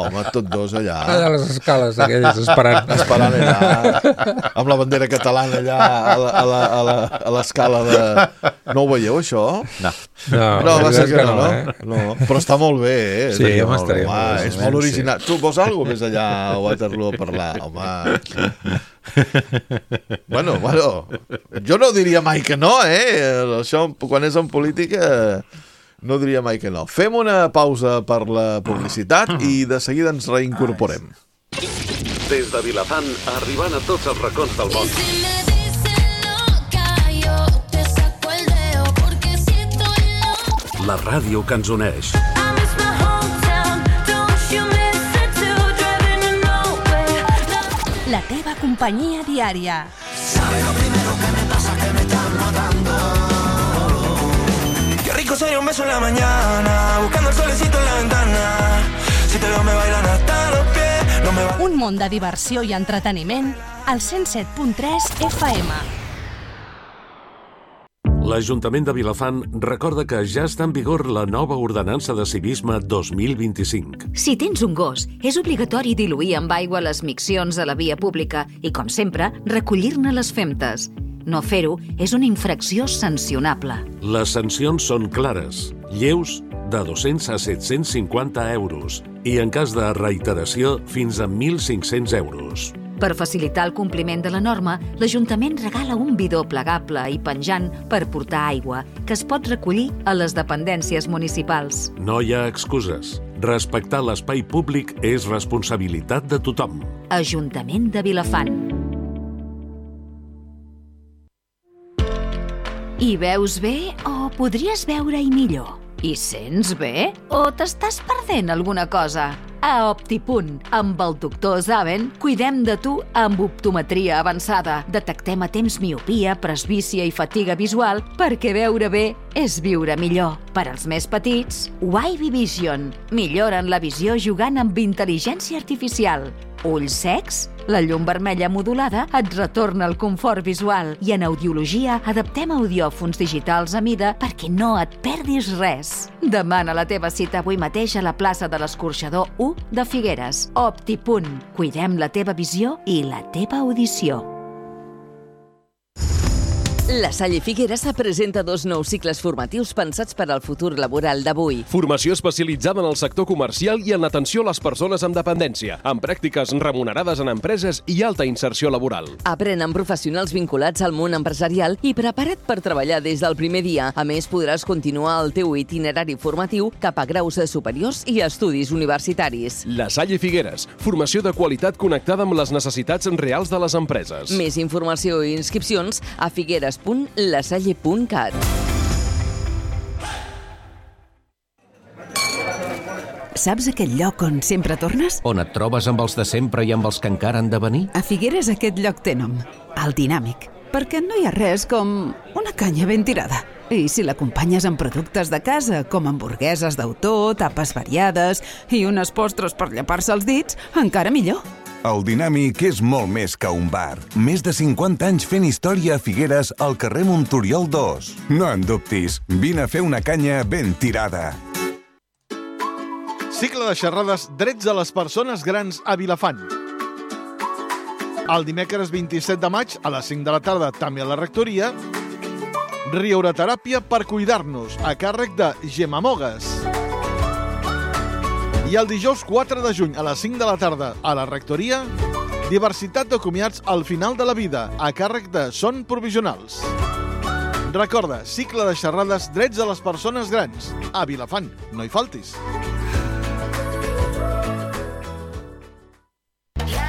Home, tots dos allà. Allà a les escales aquelles, esperant. Esperant allà, amb la bandera catalana allà a la- a la- a la- a l'escala de... No ho veieu, això? No. No, No, va ser que no, no, eh? no. Però està molt bé, eh? Sí, És- home, estaria home, molt bé, és sí. molt original. Tu vols alguna cosa més allà a Waterloo a parlar? Home... Bueno, bueno, jo no diria mai que no, eh? Això, quan és en política, no diria mai que no. Fem una pausa per la publicitat i de seguida ens reincorporem. Des de Vilafant, arribant a tots els racons del món. Si me dicen loca, yo te saco el dedo, porque si estoy loca. La ràdio que ens uneix. I miss my hometown, don't you miss it too, driving to nowhere. La teva companyia diària. Qué rico sería un beso en la mañana, buscando el solecito en la ventana. Si te veo me bailan hasta los pies, no me va... Un món de diversió i entreteniment al cent set punt tres F M. L'Ajuntament de Vilafant recorda que ja està en vigor la nova ordenança de civisme dos mil vint-i-cinc. Si tens un gos, és obligatori diluir amb aigua les miccions a la via pública i, com sempre, recollir-ne les femtes. No fer-ho és una infracció sancionable. Les sancions són clares, lleus de dos-cents a set-cents cinquanta euros i, en cas de reiteració, fins a mil cinc-cents euros. Per facilitar el compliment de la norma, l'Ajuntament regala un bidó plegable i penjant per portar aigua, que es pot recollir a les dependències municipals. No hi ha excuses. Respectar l'espai públic és responsabilitat de tothom. Ajuntament de Vilafant. Hi veus bé o podries veure-hi millor? Hi sents bé o t'estàs perdent alguna cosa? A Optipunt, amb el doctor Zaven, cuidem de tu amb optometria avançada. Detectem a temps miopia, presbícia i fatiga visual perquè veure bé és viure millor. Per als més petits, Wavy Vision. Milloren la visió jugant amb intel·ligència artificial. Ulls secs? La llum vermella modulada et retorna el confort visual i en audiologia adaptem audiòfons digitals a mida perquè no et perdis res. Demana la teva cita avui mateix a la plaça de l'Escorxador u de Figueres. Optipunt. Cuidem la teva visió i la teva audició. La Salle Figueres presenta dos nous cicles formatius pensats per al futur laboral d'avui. Formació especialitzada en el sector comercial i en l'atenció a les persones amb dependència, amb pràctiques remunerades en empreses i alta inserció laboral. Aprèn amb professionals vinculats al món empresarial i prepara't per treballar des del primer dia. A més, podràs continuar el teu itinerari formatiu cap a graus superiors i estudis universitaris. La Salle Figueres, formació de qualitat connectada amb les necessitats reals de les empreses. Més informació i inscripcions a figueres punt lasalle punt cat. Saps aquell lloc on sempre tornes? On et trobes amb els de sempre i amb els que encara han de venir? A Figueres aquest lloc té nom, el Dinàmic, perquè no hi ha res com una canya ben tirada. I si l'acompanyes amb productes de casa, com hamburgueses d'autor, tapes variades i unes postres per llepar-se els dits, encara millor. El Dinàmic és molt més que un bar. Més de cinquanta anys fent història a Figueres al carrer Montoriol dos. No en dubtis, vine a fer una canya ben tirada. Cicle de xerrades Drets a les persones grans a Vilafant. El dimecres vint-i-set de maig, a les cinc de la tarda, també a la rectoria, Riureteràpia per cuidar-nos, a càrrec de Gemma Mogues. I el dijous quatre de juny, a les cinc de la tarda, a la rectoria, Diversitat de comiats al final de la vida, a càrrec de Son Provisionals. Recorda, cicle de xerrades Drets a les persones grans. A Vilafant, no hi faltis.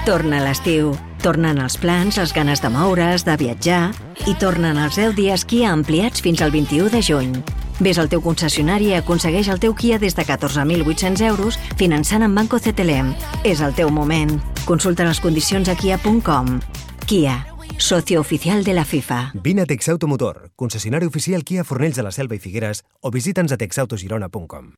Torna l'estiu, tornen els plans, les ganes de moure's, de viatjar i tornen els deu dies Kia ampliats fins al vint-i-u de juny. Ves al teu concessionari i aconsegueix el teu Kia des de catorze mil vuit-cents euros finançant amb Banco C T L M. És el teu moment. Consulta les condicions a kia punt com. Kia, socio oficial de la FIFA. Vine a Texauto Motor, concessionari oficial Kia Fornells de la Selva i Figueres, o visita'ns a texautogirona punt com.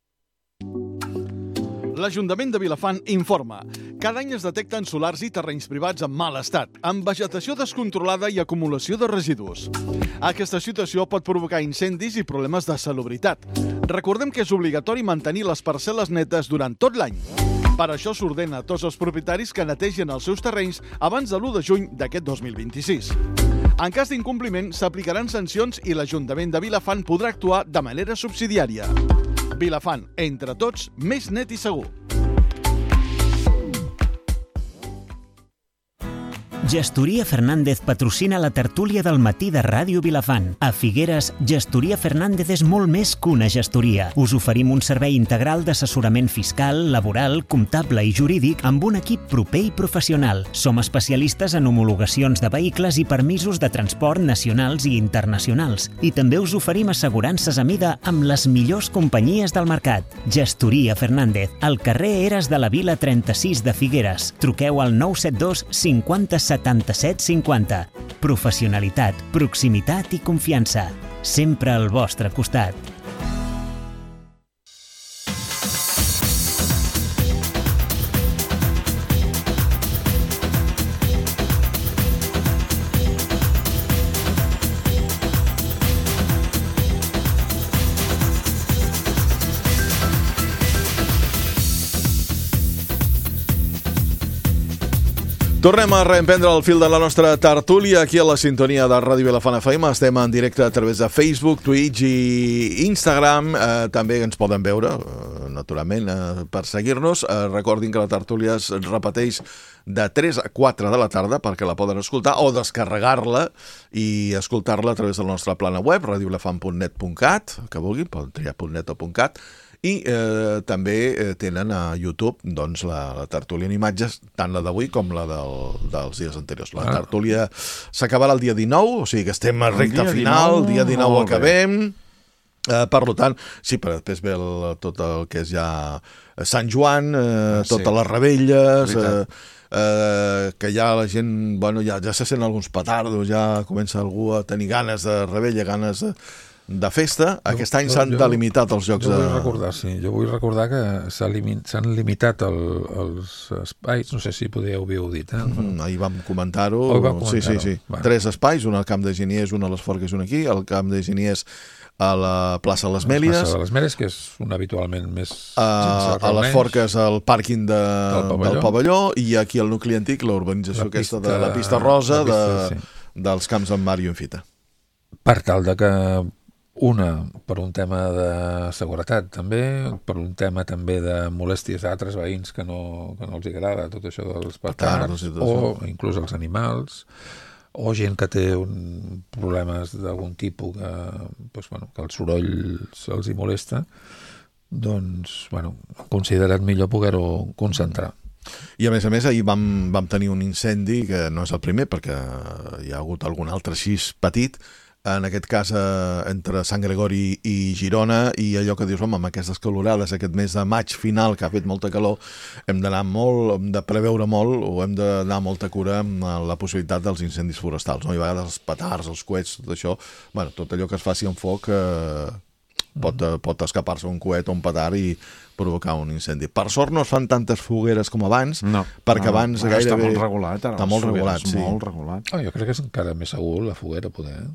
L'Ajuntament de Vilafant informa. Cada any es detecten solars i terrenys privats en mal estat, amb vegetació descontrolada i acumulació de residus. Aquesta situació pot provocar incendis i problemes de salubritat. Recordem que és obligatori mantenir les parcel·les netes durant tot l'any. Per això s'ordena a tots els propietaris que netegin els seus terrenys abans de l'u de juny d'aquest dos mil vint-i-sis. En cas d'incompliment, s'aplicaran sancions i l'Ajuntament de Vilafant podrà actuar de manera subsidiària. Vilafant, entre tots, més net i segur. Gestoria Fernández patrocina la tertúlia del matí de Ràdio Vilafant. A Figueres, Gestoria Fernández és molt més que una gestoria. Us oferim un servei integral d'assessorament fiscal, laboral, comptable i jurídic amb un equip proper i professional. Som especialistes en homologacions de vehicles i permisos de transport nacionals i internacionals. I també us oferim assegurances a mida amb les millors companyies del mercat. Gestoria Fernández, al carrer Eres de la Vila trenta-sis de Figueres. Truqueu al nou set dos cinquanta setanta-set cinquanta. Professionalitat, proximitat i confiança. Sempre al vostre costat. Tornem a reemprendre el fil de la nostra tertúlia aquí a la sintonia de Ràdio Vilafant F M. Estem en directe a través de Facebook, Twitch i Instagram. Eh, també ens poden veure, eh, naturalment, eh, per seguir-nos. Eh, recordin que la tertúlia es repeteix de tres a quatre de la tarda perquè la poden escoltar o descarregar-la i escoltar-la a través del nostre plana web, radio vilafant punt net punt cat, que vulguin, poden triar .net o .cat. I eh, també eh, tenen a YouTube doncs, la, la tertúlia en imatges, tant la d'avui com la del, dels dies anteriors. La ah. tertúlia s'acabarà el dia dinou, o sigui que estem a recta final, el dia dinou acabem. Eh, per tant, sí, però després ve el, tot el que és ja Sant Joan, eh, ah, sí. totes les rebelles, eh, eh, que ja la gent, bueno, ja, ja se sent alguns petardos, ja comença algú a tenir ganes de rebella, ganes de... de festa. Aquest any s'han delimitat els jocs jo vull de... recordar, sí, jo vull recordar que s'han limit, limitat el, els espais, no sé si podíeu haver-ho dit, eh? Mm, ahir vam comentar-ho. Oh, vam comentar-ho. Sí, sí, sí. Bueno. Tres espais, un al Camp de Geniers, un a les Forques i un aquí, al Camp de Geniers a la plaça de les Mèlies. La plaça de les Mèlies, que és un habitualment més... A, a les Forques, al pàrquing de, del, pavelló. del pavelló, i aquí al nucli antic, la urbanització la aquesta pista, de la pista rosa la pista, de, sí. dels camps en Mario en Fita. per tal de que una, per un tema de seguretat també, per un tema també de molèsties d'altres veïns que no, que no els agrada tot això dels petards, o inclús els animals, o gent que té un, problemes d'algun tipus que, doncs, bueno, que el soroll se'ls hi molesta, doncs, bueno, han considerat millor poder-ho concentrar. I a més a més ahir vam, vam tenir un incendi que no és el primer perquè hi ha hagut algun altre així petit, en aquest cas eh, entre Sant Gregori i Girona, i allò que dius, home, amb aquestes calorades, aquest mes de maig final que ha fet molta calor, hem d'anar molt, hem de preveure molt o hem de donar molta cura amb la possibilitat dels incendis forestals, no? I a vegades els petards, els coets, tot això, bueno, tot allò que es faci en foc eh, pot, eh, pot escapar-se un coet o un petard i provocar un incendi. Per sort no es fan tantes fogueres com abans, no, perquè no, abans no, gairebé... Està molt regulat, ara. Està molt regulat, sí. Molt regulat. Oh, jo crec que és encara més segur la foguera, poder, eh?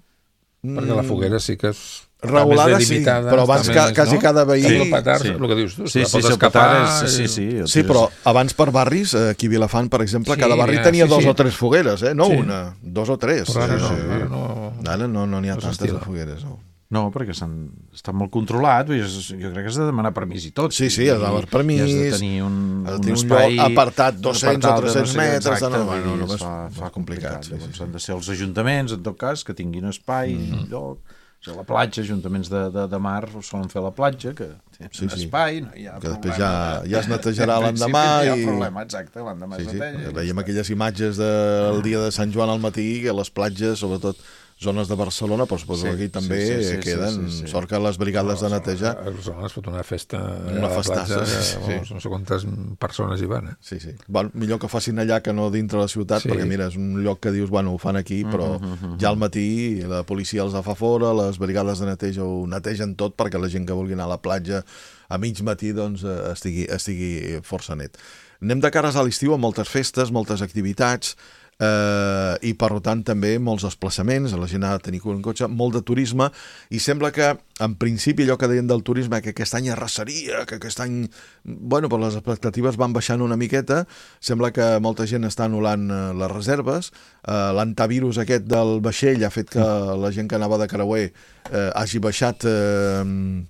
Perquè la foguera sí que és regulada, sí, però abans ca, més, quasi no? cada veí... Sí, el petard, sí. El que dius tu, sí, sí, sí, pot sí, escapar... És, sí, sí, sí, sí, però abans per barris, aquí a Vilafant, per exemple, sí, cada barri ja, tenia sí, dos sí. o tres fogueres, eh? No sí. una, dos o tres. Però ara sí, no, sí. ara no... Ara no n'hi no ha tantes estila. de fogueres, no. No, perquè està molt controlat, jo crec que has de demanar permís i tot. Sí, sí, has de demanar permís, i has de tenir un, un, un espai... apartat dos-cents o tres-cents no sé, metres, exacte, no, no, no, no, fa, fa complicat. Sí, sí, Llavors sí. han de ser els ajuntaments, en tot cas, que tinguin espai, mm. lloc... O sigui, la platja, ajuntaments de, de, de mar solen fer la platja, que té sí, un sí. espai, no hi ha que problema. després ja, ja es netejarà l'endemà. No hi ha i... problema, exacte, l'endemà sí, es sí. neteja. Veiem aquelles imatges del dia de Sant Joan al matí, que les platges, sobretot zones de Barcelona, però suposo que sí, aquí també sí, sí, sí, queden, sí, sí, sí. Sort que les brigades no, de neteja... A Barcelona es pot una festa una a la platja, sí, sí. Vamos, no sé quantes persones hi van, eh? Sí, sí. Bueno, millor que facin allà que no dintre la ciutat, sí. perquè mira, és un lloc que dius, bueno, ho fan aquí, però uh -huh, uh -huh. ja al matí la policia els fa fora, les brigades de neteja ho netegen tot perquè la gent que vulgui anar a la platja a mig matí doncs estigui, estigui força net. Anem de cares a l'estiu amb moltes festes, moltes activitats, eh, i per tant també molts desplaçaments, la gent ha de tenir un cotxe, molt de turisme, i sembla que en principi allò que deien del turisme, que aquest any arrasaria, que aquest any, bueno, però les expectatives van baixant una miqueta, sembla que molta gent està anul·lant eh, les reserves, eh, l'antivirus aquest del vaixell ha fet que la gent que anava de creuer eh, hagi baixat eh,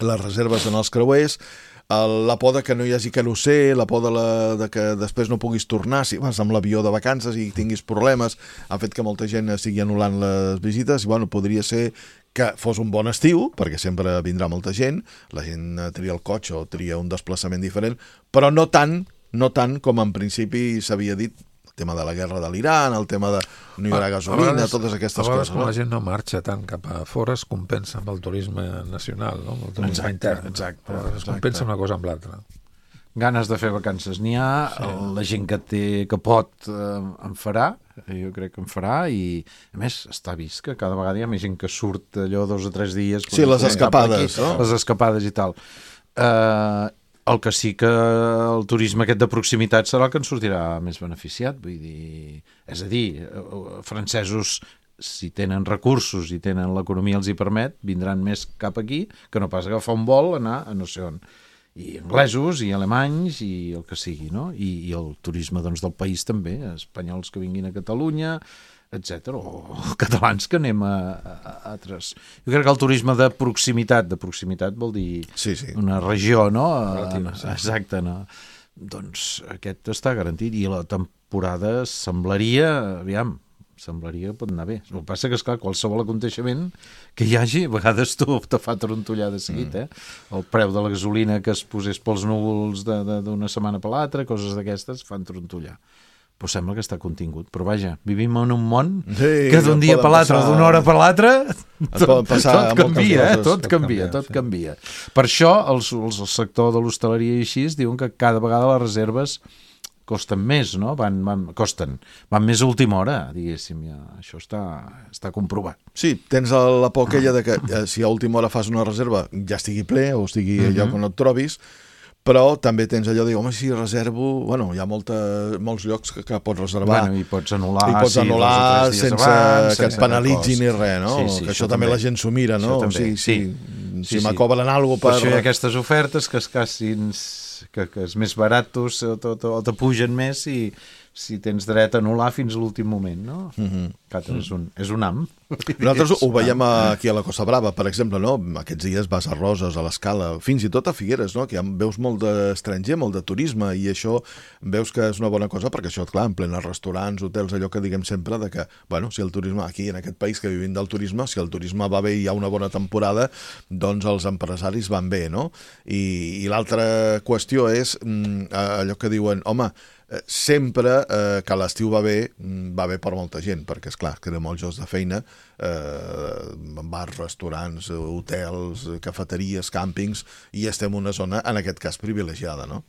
les reserves en els creuers, la por de que no hi hagi querosè, la por de, la, de que després no puguis tornar si vas amb l'avió de vacances i tinguis problemes, ha fet que molta gent estigui anul·lant les visites, i bueno, podria ser que fos un bon estiu, perquè sempre vindrà molta gent, la gent tria el cotxe o tria un desplaçament diferent, però no tant, no tant com en principi s'havia dit, el tema de la guerra de l'Iran, el tema de no hi haurà gasolina, vegades, totes aquestes coses. A vegades coses, quan no? la gent no marxa tant cap a fora es compensa amb el turisme nacional, no? Amb el turisme exacte, intern. Exacte, es exacte. compensa una cosa amb l'altra. Ganes de fer vacances n'hi ha, sí. La gent que té que pot eh, en farà, jo crec que en farà, i a més està vist que cada vegada hi ha més gent que surt allò dos o tres dies. Sí, les escapades, aquí, no? Les escapades i tal. Eh... El que sí que el turisme aquest de proximitat serà el que ens sortirà més beneficiat, vull dir, és a dir, francesos, si tenen recursos i tenen l'economia els hi permet, vindran més cap aquí que no pas agafar un vol, anar a no sé on. I anglesos, i alemanys, i el que sigui, no? I, i el turisme doncs, del país també, espanyols que vinguin a Catalunya, etcètera, o catalans que anem a, a, a altres. Jo crec que el turisme de proximitat, de proximitat vol dir sí, sí. una regió, no? Relativa, sí. Exacte, no? Doncs aquest està garantit, i la temporada semblaria, aviam, semblaria que pot anar bé. El que passa que, esclar, qualsevol aconteixement que hi hagi, a vegades tu te fa trontollar de seguit, eh? El preu de la gasolina que es posés pels núvols d'una setmana per l'altra, coses d'aquestes, fan trontollar. Però sembla que està contingut. Però vaja, vivim en un món sí, que d'un dia per l'altre o d'una hora per l'altre tot, tot canvia, eh? tot canvia, tot sí. canvia. Per això els, els, el sector de l'hostaleria i així diuen que cada vegada les reserves costen més, no? Van, van, costen, van més a última hora, diguéssim, ja, això està, està comprovat. Sí, tens la por aquella de que eh, si a última hora fas una reserva ja estigui ple o estigui uh-huh. allò que no et trobis, però també tens allò de dir, home, si reservo... Bueno, hi ha molta, molts llocs que, que pots reservar. Bueno, i pots anul·lar, I pots sí, anul·lar sense abans, que et penalitzi ni res, no? Sí, sí, que això, això també la gent s'ho mira, no? O sigui, sí, sí, sí, sí, si m'acobren alguna cosa per... Per això hi ha aquestes ofertes que es cassin, que, que és més baratos o, o, o te pugen més i si tens dret a anul·lar fins a l'últim moment, no? Mm-hmm. Clar, és un, és un am. Nosaltres ho veiem aquí a la Costa Brava, per exemple, no? Aquests dies vas a Roses, a l'Escala, fins i tot a Figueres, no? Que ja veus molt d'estranger, molt de turisme, i això veus que és una bona cosa, perquè això, clar, en plena restaurants, hotels, allò que diguem sempre, de que, bueno, si el turisme, aquí en aquest país que vivim del turisme, si el turisme va bé i hi ha una bona temporada, doncs els empresaris van bé, no? I, i l'altra qüestió és mm, allò que diuen, home, sempre eh, que l'estiu va bé, va bé per molta gent, perquè és clar, crea molts llocs de feina, eh, bars, restaurants, hotels, cafeteries, càmpings, i estem en una zona, en aquest cas, privilegiada, no?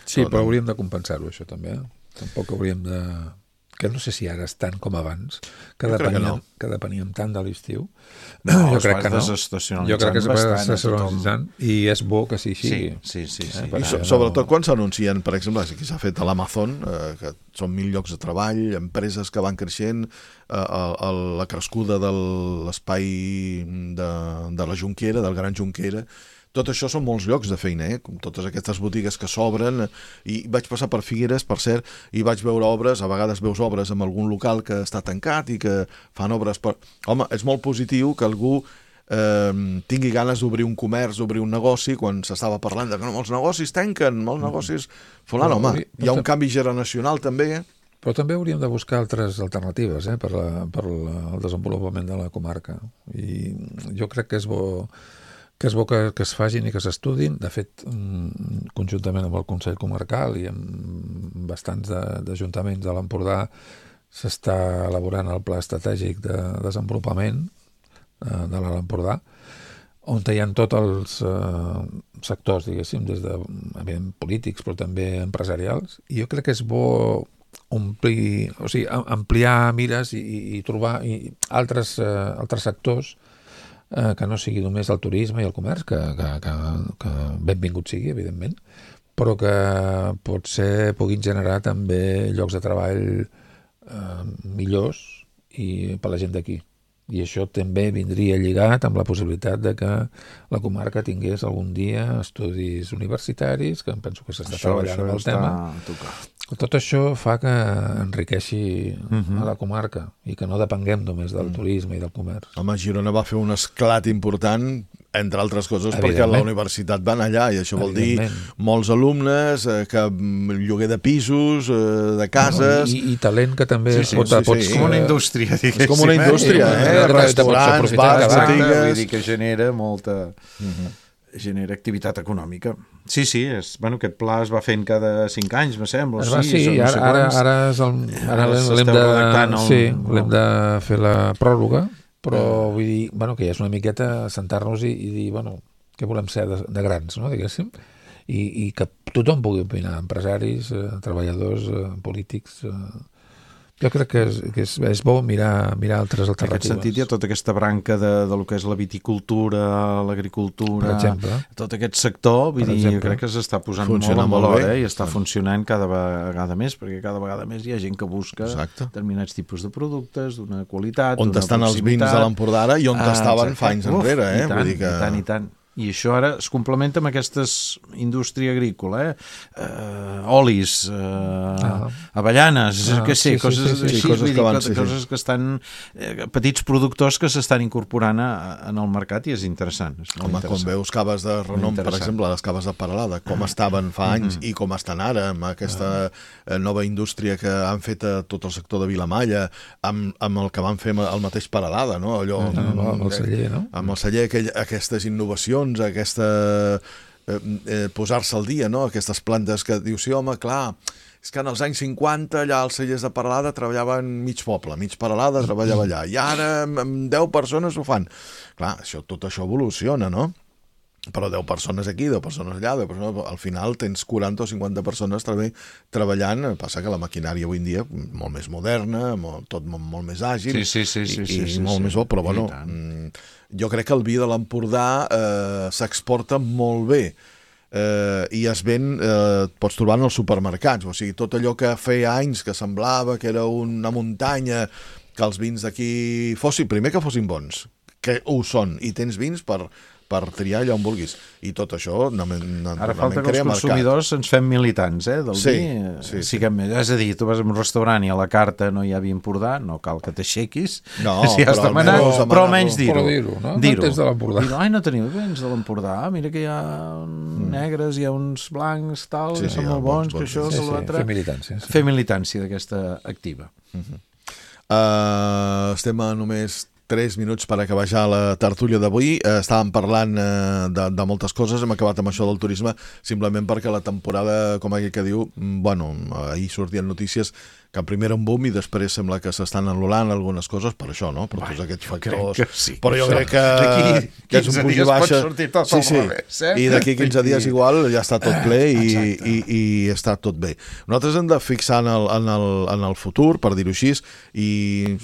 Sí, però hauríem de compensar-ho, això també. Eh? Tampoc hauríem de... Que no sé si ara és tant com abans, que Jo crec que depeníem, no. que depeníem tant de l'estiu. No, jo es crec va que no. desestacionalitzant Jo crec que es va bastant a desestacionalitzant i és bo que sí sigui. Sí, sí, sí. sí. Eh, I so, sobretot quan s'anuncien, per exemple, aquí s'ha fet a l'Amazon, eh, que són mil llocs de treball, empreses que van creixent, eh, el, el, la crescuda de l'espai de, de la Jonquera, del Gran Jonquera. Tot això són molts llocs de feina, eh? Com totes aquestes botigues que s'obren, i vaig passar per Figueres, per cert, i vaig veure obres, a vegades veus obres en algun local que està tancat i que fan obres per... Home, és molt positiu que algú eh, tingui ganes d'obrir un comerç, d'obrir un negoci, quan s'estava parlant de que no, els negocis tanquen, molts negocis... Fulano, home, hi ha un canvi generacional també, eh? Però també hauríem de buscar altres alternatives eh, per, la, per la, el desenvolupament de la comarca. I jo crec que és bo... que és bo que, que es facin i que s'estudin. De fet, conjuntament amb el Consell Comarcal i amb bastants d'ajuntaments de, de l'Empordà s'està elaborant el pla estratègic de desenvolupament eh, de l'Alt Empordà, on hi ha tots els eh, sectors, diguéssim, des de evident, polítics, però també empresarials, i jo crec que és bo omplir, o sigui, ampliar mires i, i trobar i altres, eh, altres sectors Eh, que no sigui només el turisme i el comerç, que, que, que, que benvingut sigui, evidentment, però que potser puguin generar també llocs de treball eh, millors i per la gent d'aquí. I això també vindria lligat amb la possibilitat de que la comarca tingués algun dia estudis universitaris, que em penso que s'està treballant amb el tema. Tot això fa que enriqueixi uh-huh. a la comarca i que no depenguem només del uh-huh. turisme i del comerç. Home, Girona va fer un esclat important, entre altres coses, perquè la universitat va anar allà, i això vol dir molts alumnes, eh, que lloguer de pisos, eh, de cases... No, i, I talent que també sí, sí, pot... sí, sí, pots, sí. com una indústria, diguéssim. És com una indústria, eh? eh? Restaurants, bars, botigues... Vull dir que genera molta... Uh-huh. genera activitat econòmica. Sí, sí, és, bueno, aquest pla es va fent cada cinc anys, me sembla. Es va, sí, sí no ara, ara, ara, és el, ara l'hem de, el... sí, l'hem de fer la pròrroga, però uh. vull dir, bueno, que ja és una miqueta sentar-nos i, i dir, bueno, què volem ser de, de grans, no, diguéssim, i, i que tothom pugui opinar, empresaris, eh, treballadors, eh, polítics... Eh, jo crec que és, que és, és bo mirar, mirar altres alternatives. En aquest sentit hi ha tota aquesta branca de, de lo que és la viticultura, l'agricultura, tot aquest sector, vull dir, jo crec que s'està posant Funciona molt en valor, eh? I està funcionant cada vegada més, perquè cada vegada més hi ha gent que busca Exacte. determinats tipus de productes, d'una qualitat, on estan els vins de l'Empordà ara i on ah, estaven exacte. fa anys Uf, enrere, eh? I tant, Vull dir que... i tant, i tant. I això ara es complementa amb aquestes indústria agrícola, eh? Uh, olis, uh, ah. avellanes, ah, que sé, sí, coses, sí, sí, sí, així, coses, que, van, dir, sí, coses sí. que estan... Eh, petits productors que s'estan incorporant a, en el mercat i és interessant. És Home, interessant. quan veus caves de renom, per exemple, les caves de Peralada, com estaven fa anys mm -hmm. i com estan ara, amb aquesta ah. nova indústria que han fet a tot el sector de Vilamalla, amb, amb el que van fer el mateix Peralada, no? Allò, ah, amb, amb el celler, no? Amb el celler, aquell, aquestes innovacions, aquesta eh, eh, posar-se al dia, no? Aquestes plantes que dius, sí, home, clar, és que en els anys cinquanta allà als cellers de Peralada treballaven mig poble, mig Peralada treballava allà, i ara amb deu persones ho fan. Clar, això, tot això evoluciona, no? Però deu persones aquí, deu persones allà, deu persones... al final tens quaranta o cinquanta persones també treballant, passa que la maquinària avui en dia molt més moderna, molt, tot molt, molt més àgil, sí, sí, sí, sí, i, sí, i sí, molt sí, més bo, però bueno, jo crec que el vi de l'Empordà eh, s'exporta molt bé, eh, i es ven, eh, pots trobar en els supermercats, o sigui, tot allò que feia anys que semblava que era una muntanya, que els vins d'aquí fossin, primer que fossin bons, que ho són, i tens vins per, per triar allà on vulguis. I tot això... Ara falta que els consumidors ens fem militants, eh, del sí, vi. Sí, sí. Siguem, és a dir, tu vas a un restaurant i a la carta no hi ha vi Empordà, no cal que t'aixequis, no, si has demanat, almenys però almenys dir-ho. Però dir-ho, no? Dir-ho. No tens de l'Empordà. Dir-ho, ai, no teniu vins de l'Empordà, mira que hi ha mm. negres, hi ha uns blancs, tal, sí, que sí, són molt bons, bons, que això, sí, que sí, l'altre... fer militància. Sí. Fer militància d'aquesta activa. Uh-huh. uh, estem a només tres minuts per acabar ja la tertúlia d'avui. Eh, estàvem parlant eh, de, de moltes coses, hem acabat amb això del turisme simplement perquè la temporada, com aquell que diu, bueno, ahir sortien notícies que primer era un boom i després sembla que s'estan anul·lant algunes coses per això, no? Per tots aquests factors. Sí, però jo crec que, que és un puig i baixa. Sí, sí. Revés, eh? I d'aquí quinze dies igual ja està tot ple i, i, i està tot bé. Nosaltres hem de fixar en el, en el, en el futur, per dir-ho així, i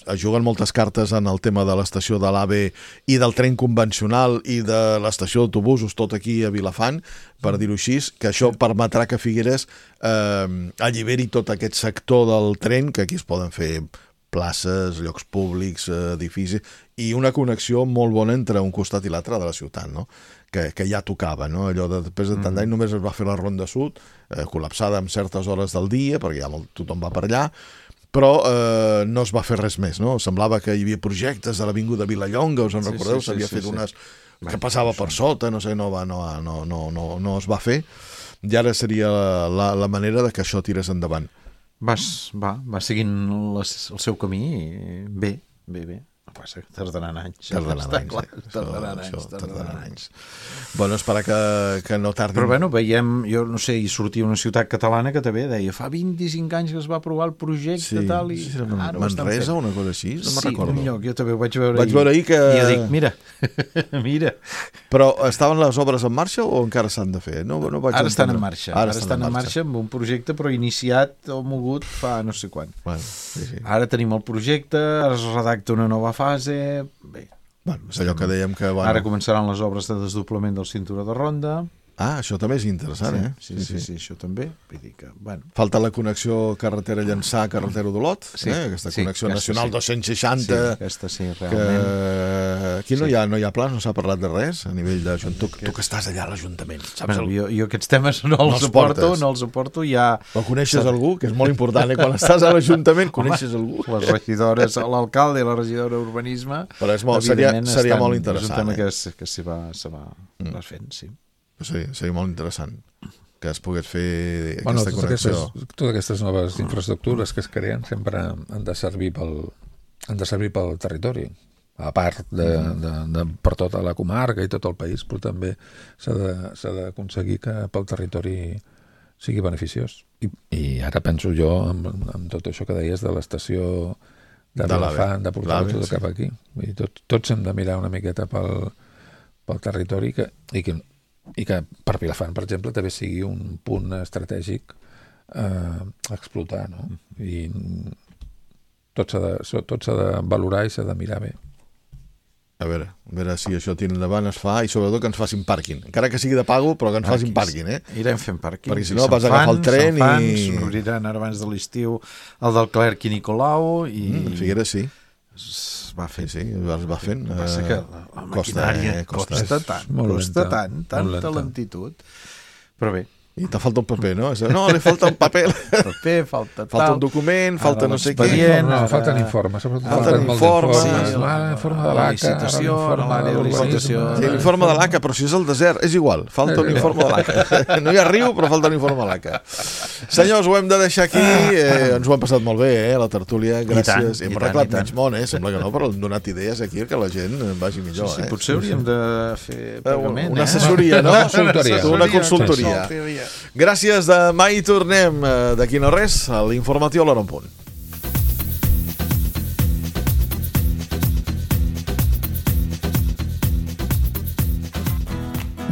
es juguen moltes cartes en el tema de l'estació de l'AVE i del tren convencional i de l'estació d'autobusos, tot aquí a Vilafant, per dir-ho així, que això permetrà que Figueres eh, alliberi tot aquest sector del tren, que aquí es poden fer places, llocs públics, edificis, i una connexió molt bona entre un costat i l'altre de la ciutat, no? que, que ja tocava, no? Allò de després de tant d'any només es va fer la Ronda Sud, eh, col·lapsada en certes hores del dia, perquè ja molt, tothom va per allà, però eh, no es va fer res més, no? Semblava que hi havia projectes de l'Avinguda Vilallonga, us en sí, recordeu? Sí, sí, S'havia sí, fet sí. unes... que passava per sota, no sé, no, va, no, no, no, no, no es va fer, i ara seria la, la manera de que això tirés endavant. Vas, va, va seguint les, el seu camí i bé, bé, bé. El que passa que tardaran anys. Tardaran anys, clar, eh? tardaran Això, anys, això, tardaran tardaran anys. Bueno, esperar que, que no tardin. Però bueno, veiem, jo no sé, hi sortia una ciutat catalana que també deia fa vint-i-cinc anys que es va aprovar el projecte sí, tal i sí, sí, ara ho estan fent. Manresa, una cosa així? No me'n sí, recordo. un lloc, jo també ho vaig veure Vaig veure ahir que... I jo dic, mira, mira. Però estaven les obres en marxa o encara s'han de fer? No, no vaig ara entendre. estan en marxa, ara, ara estan en marxa. marxa amb un projecte però iniciat o mogut fa no sé quan. Bueno, sí, sí. Ara tenim el projecte, ara es redacta una nova fase, bé. Bueno, és allò que dèiem que... Bueno... Ara començaran les obres de desdoblament del cinturó de ronda. Ah, això també és interessant, sí, eh? Sí sí, sí, sí, sí, això també. Vull dir que, bueno. Falta la connexió carretera Llançà, carretera d'Olot, sí, eh? Aquesta sí, connexió aquesta nacional sí. dos-cents seixanta. Sí, aquesta sí, realment. Que... Aquí no, sí. hi ha, no hi ha plans, no s'ha parlat de res a nivell de... Tu, tu que estàs allà a l'Ajuntament, saps? Bueno, jo, jo aquests temes no els no suporto, no els suporto, ja... O coneixes algú, que és molt important, eh? Quan estàs a l'Ajuntament coneixes algú. Les regidores, l'alcalde i la regidora d'Urbanisme... Però és molt, seria, seria molt interessant. És un tema eh? que, que s'hi va, se va mm. fent, sí. Seria, seria molt interessant que es pogués fer bueno, aquesta connexió. Aquestes, totes aquestes noves infraestructures que es creen sempre han de servir pel, han de servir pel territori, a part de, de, de, per tota la comarca i tot el país, però també s'ha d'aconseguir que pel territori sigui beneficiós. I, i ara penso jo amb, amb tot això que deies de l'estació de, de Vilafant, de portar-ho tot sí. cap aquí. I tot, tots hem de mirar una miqueta pel, pel territori que, i que i que per Vilafant, per exemple, també sigui un punt estratègic eh, a explotar, no? I tot s'ha de, tot s'ha de valorar i s'ha de mirar bé. A veure, a veure si això tira endavant, es fa, i sobretot que ens facin pàrquing. Encara que sigui de pago, però que ens facin pàrquing, eh? Irem fent pàrquing. Perquè si no vas a agafar el tren fan, i... S'obriran ara abans de l'estiu el del Clerc i Nicolau i... Mm, Figueres sí. Es va fent. Sí, sí, es va fent. El que passa que la, la maquinària costa, eh? costa, costa tant, costa lenta, tant, tanta lentitud. Però bé. I te falta un paper, no? No, li falta un paper. paper, falta tal. Falta un document, falta no sé què. No, no, falten informes. Falten informes. L'informe de l'A C A, l'àrea de licitació. L'informe de l'A C A, però si és el desert, és igual. Falta un informe de l'A C A. No hi ha riu, però falta un informe de l'A C A. Senyors, ho hem de deixar aquí. Eh, ens ho hem passat molt bé, eh, la tertúlia. Gràcies. Hem arreglat menys món, eh? Sembla que no, però hem donat idees aquí que la gent vagi millor, eh? Potser hauríem de fer pagament, una assessoria, no? Una consultoria. Gràcies, demà hi tornem. D'aquí no res, a l'informatiu a l'hora en punt.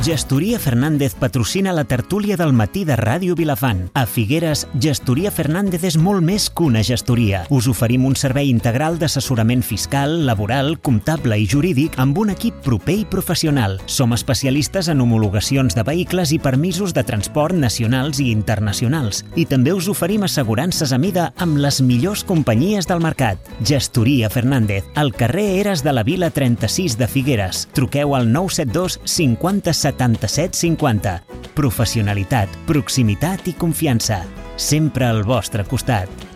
Gestoria Fernández patrocina la tertúlia del matí de Ràdio Vilafant. A Figueres, Gestoria Fernández és molt més que una gestoria. Us oferim un servei integral d'assessorament fiscal, laboral, comptable i jurídic amb un equip proper i professional. Som especialistes en homologacions de vehicles i permisos de transport nacionals i internacionals. I també us oferim assegurances a mida amb les millors companyies del mercat. Gestoria Fernández, al carrer Eres de la Vila trenta-sis de Figueres. Truqueu al nou set dos cinquanta setanta-set cinquanta. Professionalitat, proximitat i confiança. Sempre al vostre costat.